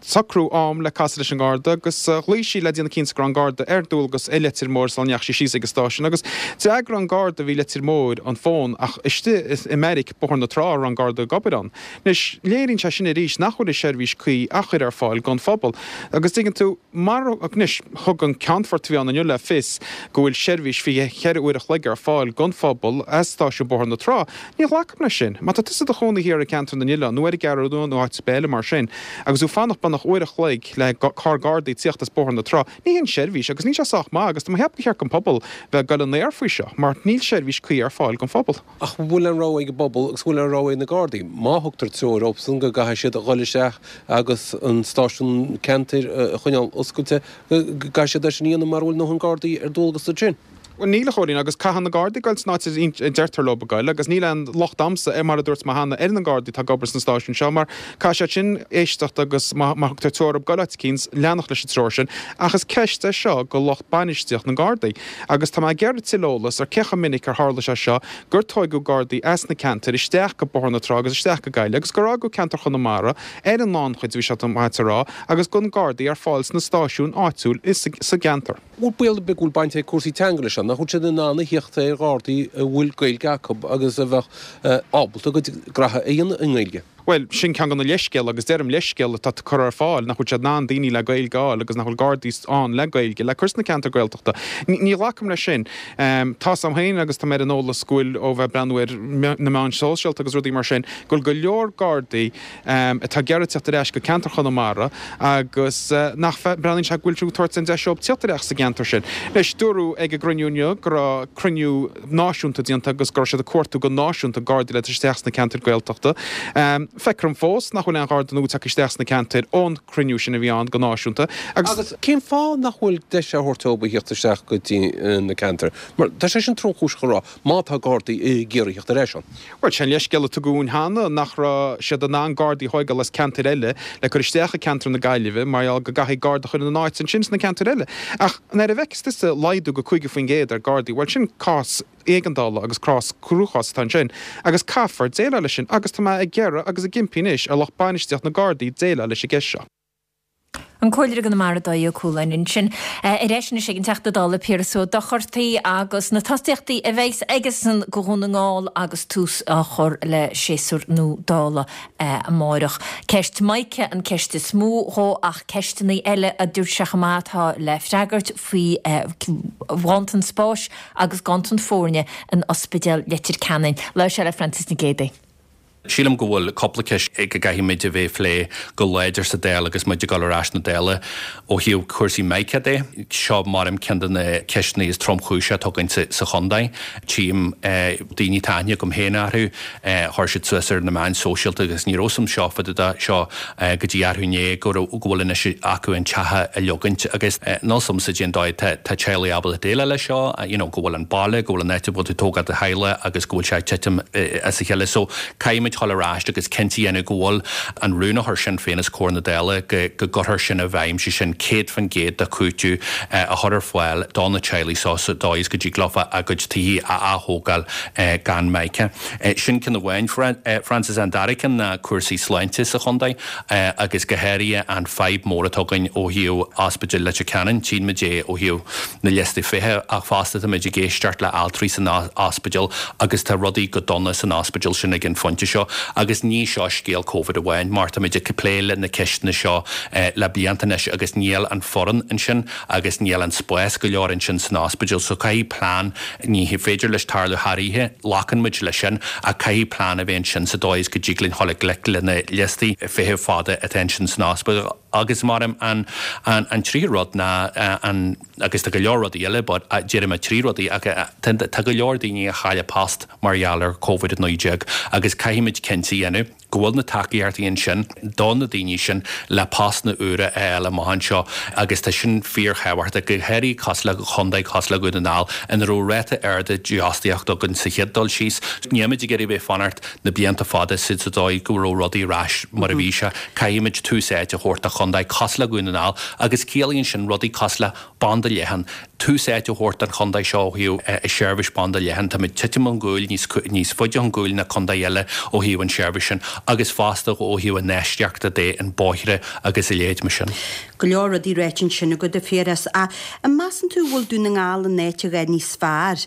Speaker 13: socrú am le casadh leis an nGarda agus ghlaoigh sí le déanamh cinnte go raibh an Garda ar dualgas i Leitir Móir sula ndeachaigh sí síos ag an stáisiún agus d'fhreagair an Garda a bhí i Leitir Móir an fón ach istigh i mbeairic Bóthar na Trá a raibh an Garda ag obair ann. Anois, léiríonn sé sin arís nach bhfuil an seirbhís cuí á chur ar fáil don phobal agus dtuigeann tú, mar, anois, thug an Ceannfort a bhí ann inniu le fios go bhfuil seirbhís 24 uair a chloig ar fáil don phobal as stáisiún Bóthar na Trá. Ní ghlacaim leis sin. Má tá tusa i do chónaí thiar i gceantar na nOileán nó ar an gCeathrú Rua nó áit ar bith eile mar sin agus tú fanacht beagnach uair a chloig le carr Gardaí tíocht as Bóthar na Trá, ní hin seirbhís agus níl sé sách maith agus tá mé ag ceapadh gur cheart don phobal bheith ag goil in aer faoi seo mar níl seirbhís cuí ar fáil don phobal.
Speaker 14: Ach an bhfuil aon rogha ag an bpobal agus an bhfuil aon rogha ag na Gardaí? Má thugtar treoir dóibhsan go gcaithfidh siad a dhul isteach agus an stáisiún ceantair a choinneáil oscailte, go gcaithfidh siad é sin a dhéanamh mara bhfuil a ndóthain Gardaí ar dualgas ansin.
Speaker 13: Bhuel, níl, a Chóilín, agus caithfidh na Gardaí goil san áit a deirtear leo a goil, agus níl aon locht a'msa, mar a dúirt mé cheana, ar na Gardaí atá ag obair sna stáisiúin seo, mar caithfidh siad sin éisteacht agus má thugtar treoir dóibh goil áit eicínt, leanacht leis an treoir sin. Ach is ceist é seo go lucht bainistíocht na nGardaí. Agus tá mé ag iarraidh tuilleadh eolas ar cé chomh minic ar tharla sé seo gur tóigeadh Gardaí as na ceantair isteach go Bóthar na Trá agus isteach go Gaillimh agus gur fhágadh ceantar Chonamara ar an ngannchuid, bhí sé maith a rá, agus gan Gardaí ar fáil sna stáisiúin áitiúil sa gceantar.
Speaker 14: Bhfuil baol ar bith go bhfuil baint ag cúrsaí teanga leis seo? Nach bhfuil siad in ann a thíocht ar Ghardaí a bhfuil Gaeilge acu agus a bheadh ábalta a gcuid graithe a dhéanamh i nGaeilge?
Speaker 13: Bhuel, sin ceann de na leithscéal, agus deirim leithscéal, atá curtha ar fáil, nach bhfuil siad in ann daoine le Gaeilge a fháil agus nach bhfuil Gardaí ann le Gaeilge le cur sna ceantair Gaeltachta. Ní ghlacaim leis sin. Tá's a'm féin agus tá mé ar an eolas go bhfuil, ó bheith ag breathnú ar na meáin shóisialta agus rudaí mar sin, go bhfuil go leor Gardaí, atá ag iarraidh teacht ar ais go ceantar Chonamara agus nach mbreathnaíonn sé go bhfuil tú ag tabhairt an deis dóibh teacht ar ais sa gceantar sin. Anois, dúradh ag an gcruinniú inniu go raibh cruinniú náisiúnta déanta agus go raibh siad ag cuartú go náisiúnta Gardaí le tabhairt isteach sna ceantair Gaeltachta. Feictear dom fós nach bhfuil aon Gharda nua tagtha isteach sna ceantair ón gcruinniú sin a bhí ann go náisiúnta
Speaker 14: agus. Agus cén fáth nach bhfuil deis á thabhairt dóibh a thíocht isteach go dtí na ceantair? Mar tá sé sin tromchúiseach a rá, má tá Gardaí ag iarraidh theacht ar ais ann.
Speaker 13: Bhuel, sé an leithscéal a tugadh dhúinn cheana nach raibh siad in ann Gardaí a thóigeáil as ceantair eile le cur isteach i ceantar na Gaillimhe mar gheall go gcaithfí Garda a chur ina n-áit ansin sna ceantair eile. Ach nuair a bhfeiceas tusa laghdú go 50% ar Gardaí, bhuel sin cás éigeandála agus cás cruachás atá ansin agus caithfear déileáil leis sin agus tá mé ag iarraidh agus ag impí anois ar lucht bainistíocht na Gardaí déileáil leis an gceist seo.
Speaker 1: An Comhairleoir i gConamara Dáithí Ó Cualáin ansin. Ar ais anois ag an Teachta Dála Piaras Ó Dochartaigh agus na tosaíochtaí a bheas aigesan go Dhún na nGall agus tús á chur le séasúr nua Dála amárach. Ceist Mica an ceist is mó dhó ach ceisteanna eile a dúirt sé chomh maith atá le freagairt faoi ghanntan spáis agus ganntan foirne in Ospidéal Leitir Ceanainn. Labhair sé le Frances Nic Géadaigh.
Speaker 15: Sílim go bhfuil cúpla ceist go gcaithfimid a bheith ag plé go láidir sa Dáil agus muid ag dul ar ais na Dála ó thaobh cúrsaí Mica de. Seo mar ceann de na ceisteanna is tromchúise atá againn sa chontae. Tchím daoine atá aithne agam féin orthu, chuir siad suas ar na meáin sóisialta agus ní raibh a fhios a'm seo fá dtaobh de seo go dtí arú inné go raibh, go bhfuil anois acu an teach a leogaint agus níl a fhios a'msa cén dóigh tá teaghlaigh ábalta déileáil leis seo, you know go bhfuil an baile, go bhfuil an áit a bhfuil tú ag tógáil do theaghlach agus go bhfuil sé ag titim as a chéile. So caithfimid dhul ar ais agus cinnte a dhéanamh go bhfuil an rún a chuir Sinn Féin os comhair na Dála go go gcuirfear sin i bhfeidhm, sé sin 100% de chúiteamh a chur ar fáil do na teaghlaigh seo sa dóigh is go dtig leofa a gcuid tithe a ath-thógáil gan Mica. Sin ceann amháin, Frances. An dara ceann ná cúrsaí sláinte sa chontae agus go háirithe an fadhb mór atá againn ó thaobh Ospidéal Leitir Ceanainn. Tchíonn muid é ó thaobh na liostaí feithimh ach fosta tá muid ag éisteacht le altraí san ospidéal agus tá rudaí go dona san ospidéal sin ag an phointe seo. anseo agus ní seo scéal Covid amháin mar táimid ag plé le na ceisteanna seo le blianta anois agus níl an foireann ansin agus níl an spás go leor ansin san ospidéal so caithfidh plean, ní féidir leis tarlú thar oíche, glacann muid leis sin ach caithfidh plean a bheith ansin sa dóigh is go dtig linn dhul i ngleic le na liostaí feithimh fada atá ansin san ospidéal agus mar an an tríú rud ná an agus tá go leor rudaí eile but déarfaidh mé 3 rudaí ach tá go leor daoine a chaill a post mar gheall ar Covid-19 agus caithfimid cinnte a dhéanamh go bhfuil na tacaíochtaí ansin do na daoine sin le postanna úra a fháil amach anseo agus tá sin fíorthábhachtach, go háirithe cosúil le contae cosúil le Dhún na nGall ina raibh ráta ard dífhostaíochta againn sa chéad dul síos. Nílimid ag iarraidh bheith fanacht na blianta fada sa dóigh go raibh rudaí ar ais mar a bhí sé. Caithfimid tús áite a thabhairt do chontae cosúil le Dhún na nGall agus ciallaíonn sin rudaí cosúil le banda leathan, tús áite a thabhairt don chontae seo ó thaobh seirbhís banda leathan. Táimid titim chun cúil, níos níos faide chun cúil ná contae eile ó thaobh an seirbhís sin agus fosta ó thaobh infheistíochta de, an bóithre agus a leithéid mar sin.
Speaker 16: Go leor rudaí ráite ansin agat, a Phiarais. Ach an measann tú bhfuil Dún na nGall in áit a dhath níos fearr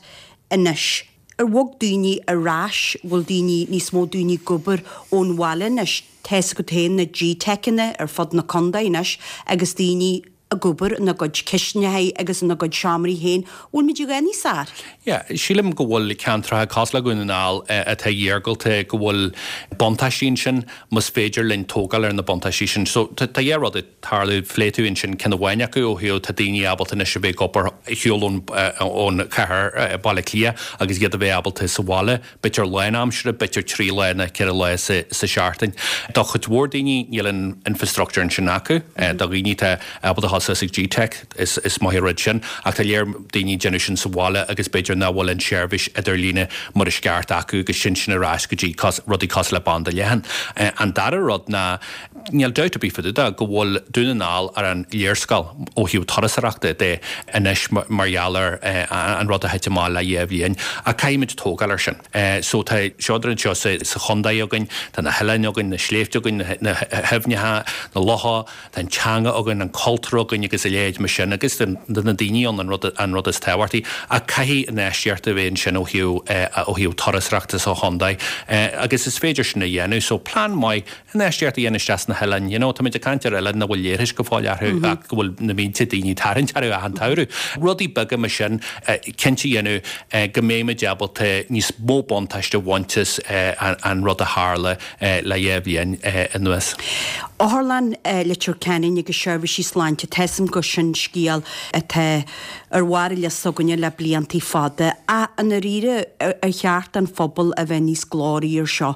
Speaker 16: anois? Ar bhog daoine ar ais? Bhfuil daoine, níos mó daoine ag obair ón bhaile anois? Tá's agat féin na G-Teiceanna ar fud na contae anois agus daoine ag obair ina gcuid cistineacha agus ina gcuid seomraí féin. Bhfuil muid a dhath níos fearr?
Speaker 15: Yeah, sílim go bhfuil ceantracha cosúil le Dhún na nGall atá iargúlta, go bhfuil buntáistí ansin, más féidir linn tógáil ar na buntáistí sin. So tá dhá rud ag tarlú, phléigh tú ansin ceann amháin acu ó thaobh tá daoine ábalta anois a bheith ag obair ar shiúl ón chathair, Baile Átha Cliath, agus iad a bheith ábalta sa bhaile. b'fhéidir lánaimseartha, b'fhéidir 3 lá nó 4 lá sa seachtain. Do chuid mhór daoine níl an infrastructure ansin acu. Do dhaoine atá ábalta dhul suas ag G-Teic is maith an rud sin ach tá lear daoine ag déanamh sin sa bhaile agus b'fhéidir nach bhfuil an seirbhís idirlíne mar is ceart acu agus sin sin ar ais go dtí rudaí cosúil le banda leathan. An dara rud ná Níl dabht ar bith fá dtaobh de go bhfuil Dún na nGall ar an léarscáil ó thaobh turasóireachta de anois mar gheall ar an rud a thit amach le dhá bhliain ach caithfimid tógáil air sin. So tá seodra anseo sa chontae againn, tá na hoileáin againn, na sléibhte againn, na haibhneacha, na locha, tá an teanga againn, an cultúr againn agus a leithéid mar sin agus tá na daoine ann an rud an rud is tábhachtaí ach caithfidh infheistíocht a bheith ansin ó thaobh ó thaobh turasóireachta sa chontae agus is féidir sin a dhéanamh. So plean maith Infheistíocht a dhéanamh isteach sna hoileáin. You know, táimid ag caint ar oileáin nach bhfuil leithris go fóill orthu ach go bhfuil na mílte daoine ag tarraingt orthu achan tsamhradh. Rudaí beaga mar sin, cinnte a dhéanamh go mbeimid ábalta níos mó buntáiste a bhaint as an rud a tharla le dhá bhliain anuas.
Speaker 16: Otharlann Leitir Ceanainn agus seirbhísí sláinte, tá 'fhios a'm gur sin scéal atá ar bharr an liosta againne le bliantaí fada. Ach i ndáiríre, ar cheart don phobal a bheith níos glóraí ar seo?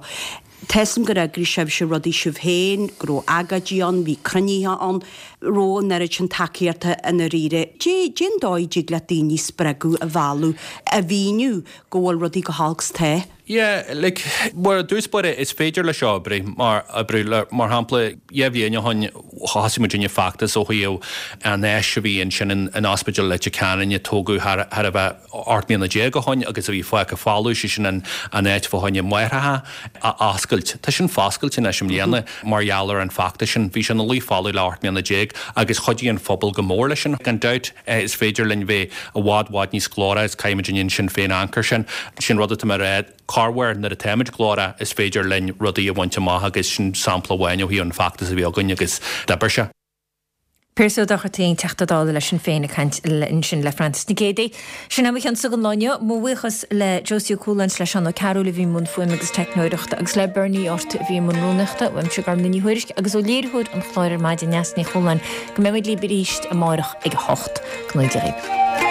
Speaker 16: Tá 'fhios a'm gur eagraigh sibhse rudaí sibh féin, go raibh agóidí ann, bhí cruinnithe ann, raibh an oiread sin tacaíochta i ndáiríre. Cén dóigh a dtig le daoine spreagadh a mhealladh, a mhíniú go bhfuil rudaí go holc 's tá?
Speaker 15: Yeah, like, mar i dtús báire, is féidir leis seo oibriú, mar, oibriú le, mar shampla, dhá bhliain ó shin, thosaigh muidinne feachtas ó thaobh an áis a bhí ansin in, in Ospidéal Leitir Ceanainn a tógadh thar, thar a bheith, 18 mbliana ó shoin agus a bhí fágtha folamh, sé sin an áit fá choinne máithreacha a oscailt. Tá sin foscailte anois i mbliana mar gheall ar an bhfeachtas sin. Bhí sé ina luí folamh le 18 mbliana agus chuidigh an phobal go mór leis sin. Gan dabht is féidir linn bheith i bhfad bhfad níos glóraí agus caithfimid an Sinn Féin amharc air sin. Sin rud atá mé a rá, corruair nuair atáimid glórach is féidir linn rudaí a bhaint amach agus sin sampla amháin ó thaobh an feachtas a bhí againn agus d'oibir sé.
Speaker 1: Pearse Ó Dochartaigh, Teachta Dála le Sinn Féin ag caint ansin le Francis Nic Géadaigh. Sin é mo chionsa don lá inniu. Mo bhuíochas le Josie Ó Cualáin is le Seán Ó Cearúil a bhí i mbun fuaime agus teicneoireachta agus le Bernie Ort a bhí i mbun rúnaíochta. Uaimse Gormfhlaith Ní Thuairisg agus ó léiritheoir an chláir ar maidin Neasa Ní Chualáin go mbeidh muid libh arís amárach ag a hocht. Go ngnóthaí Dia dhaoibh.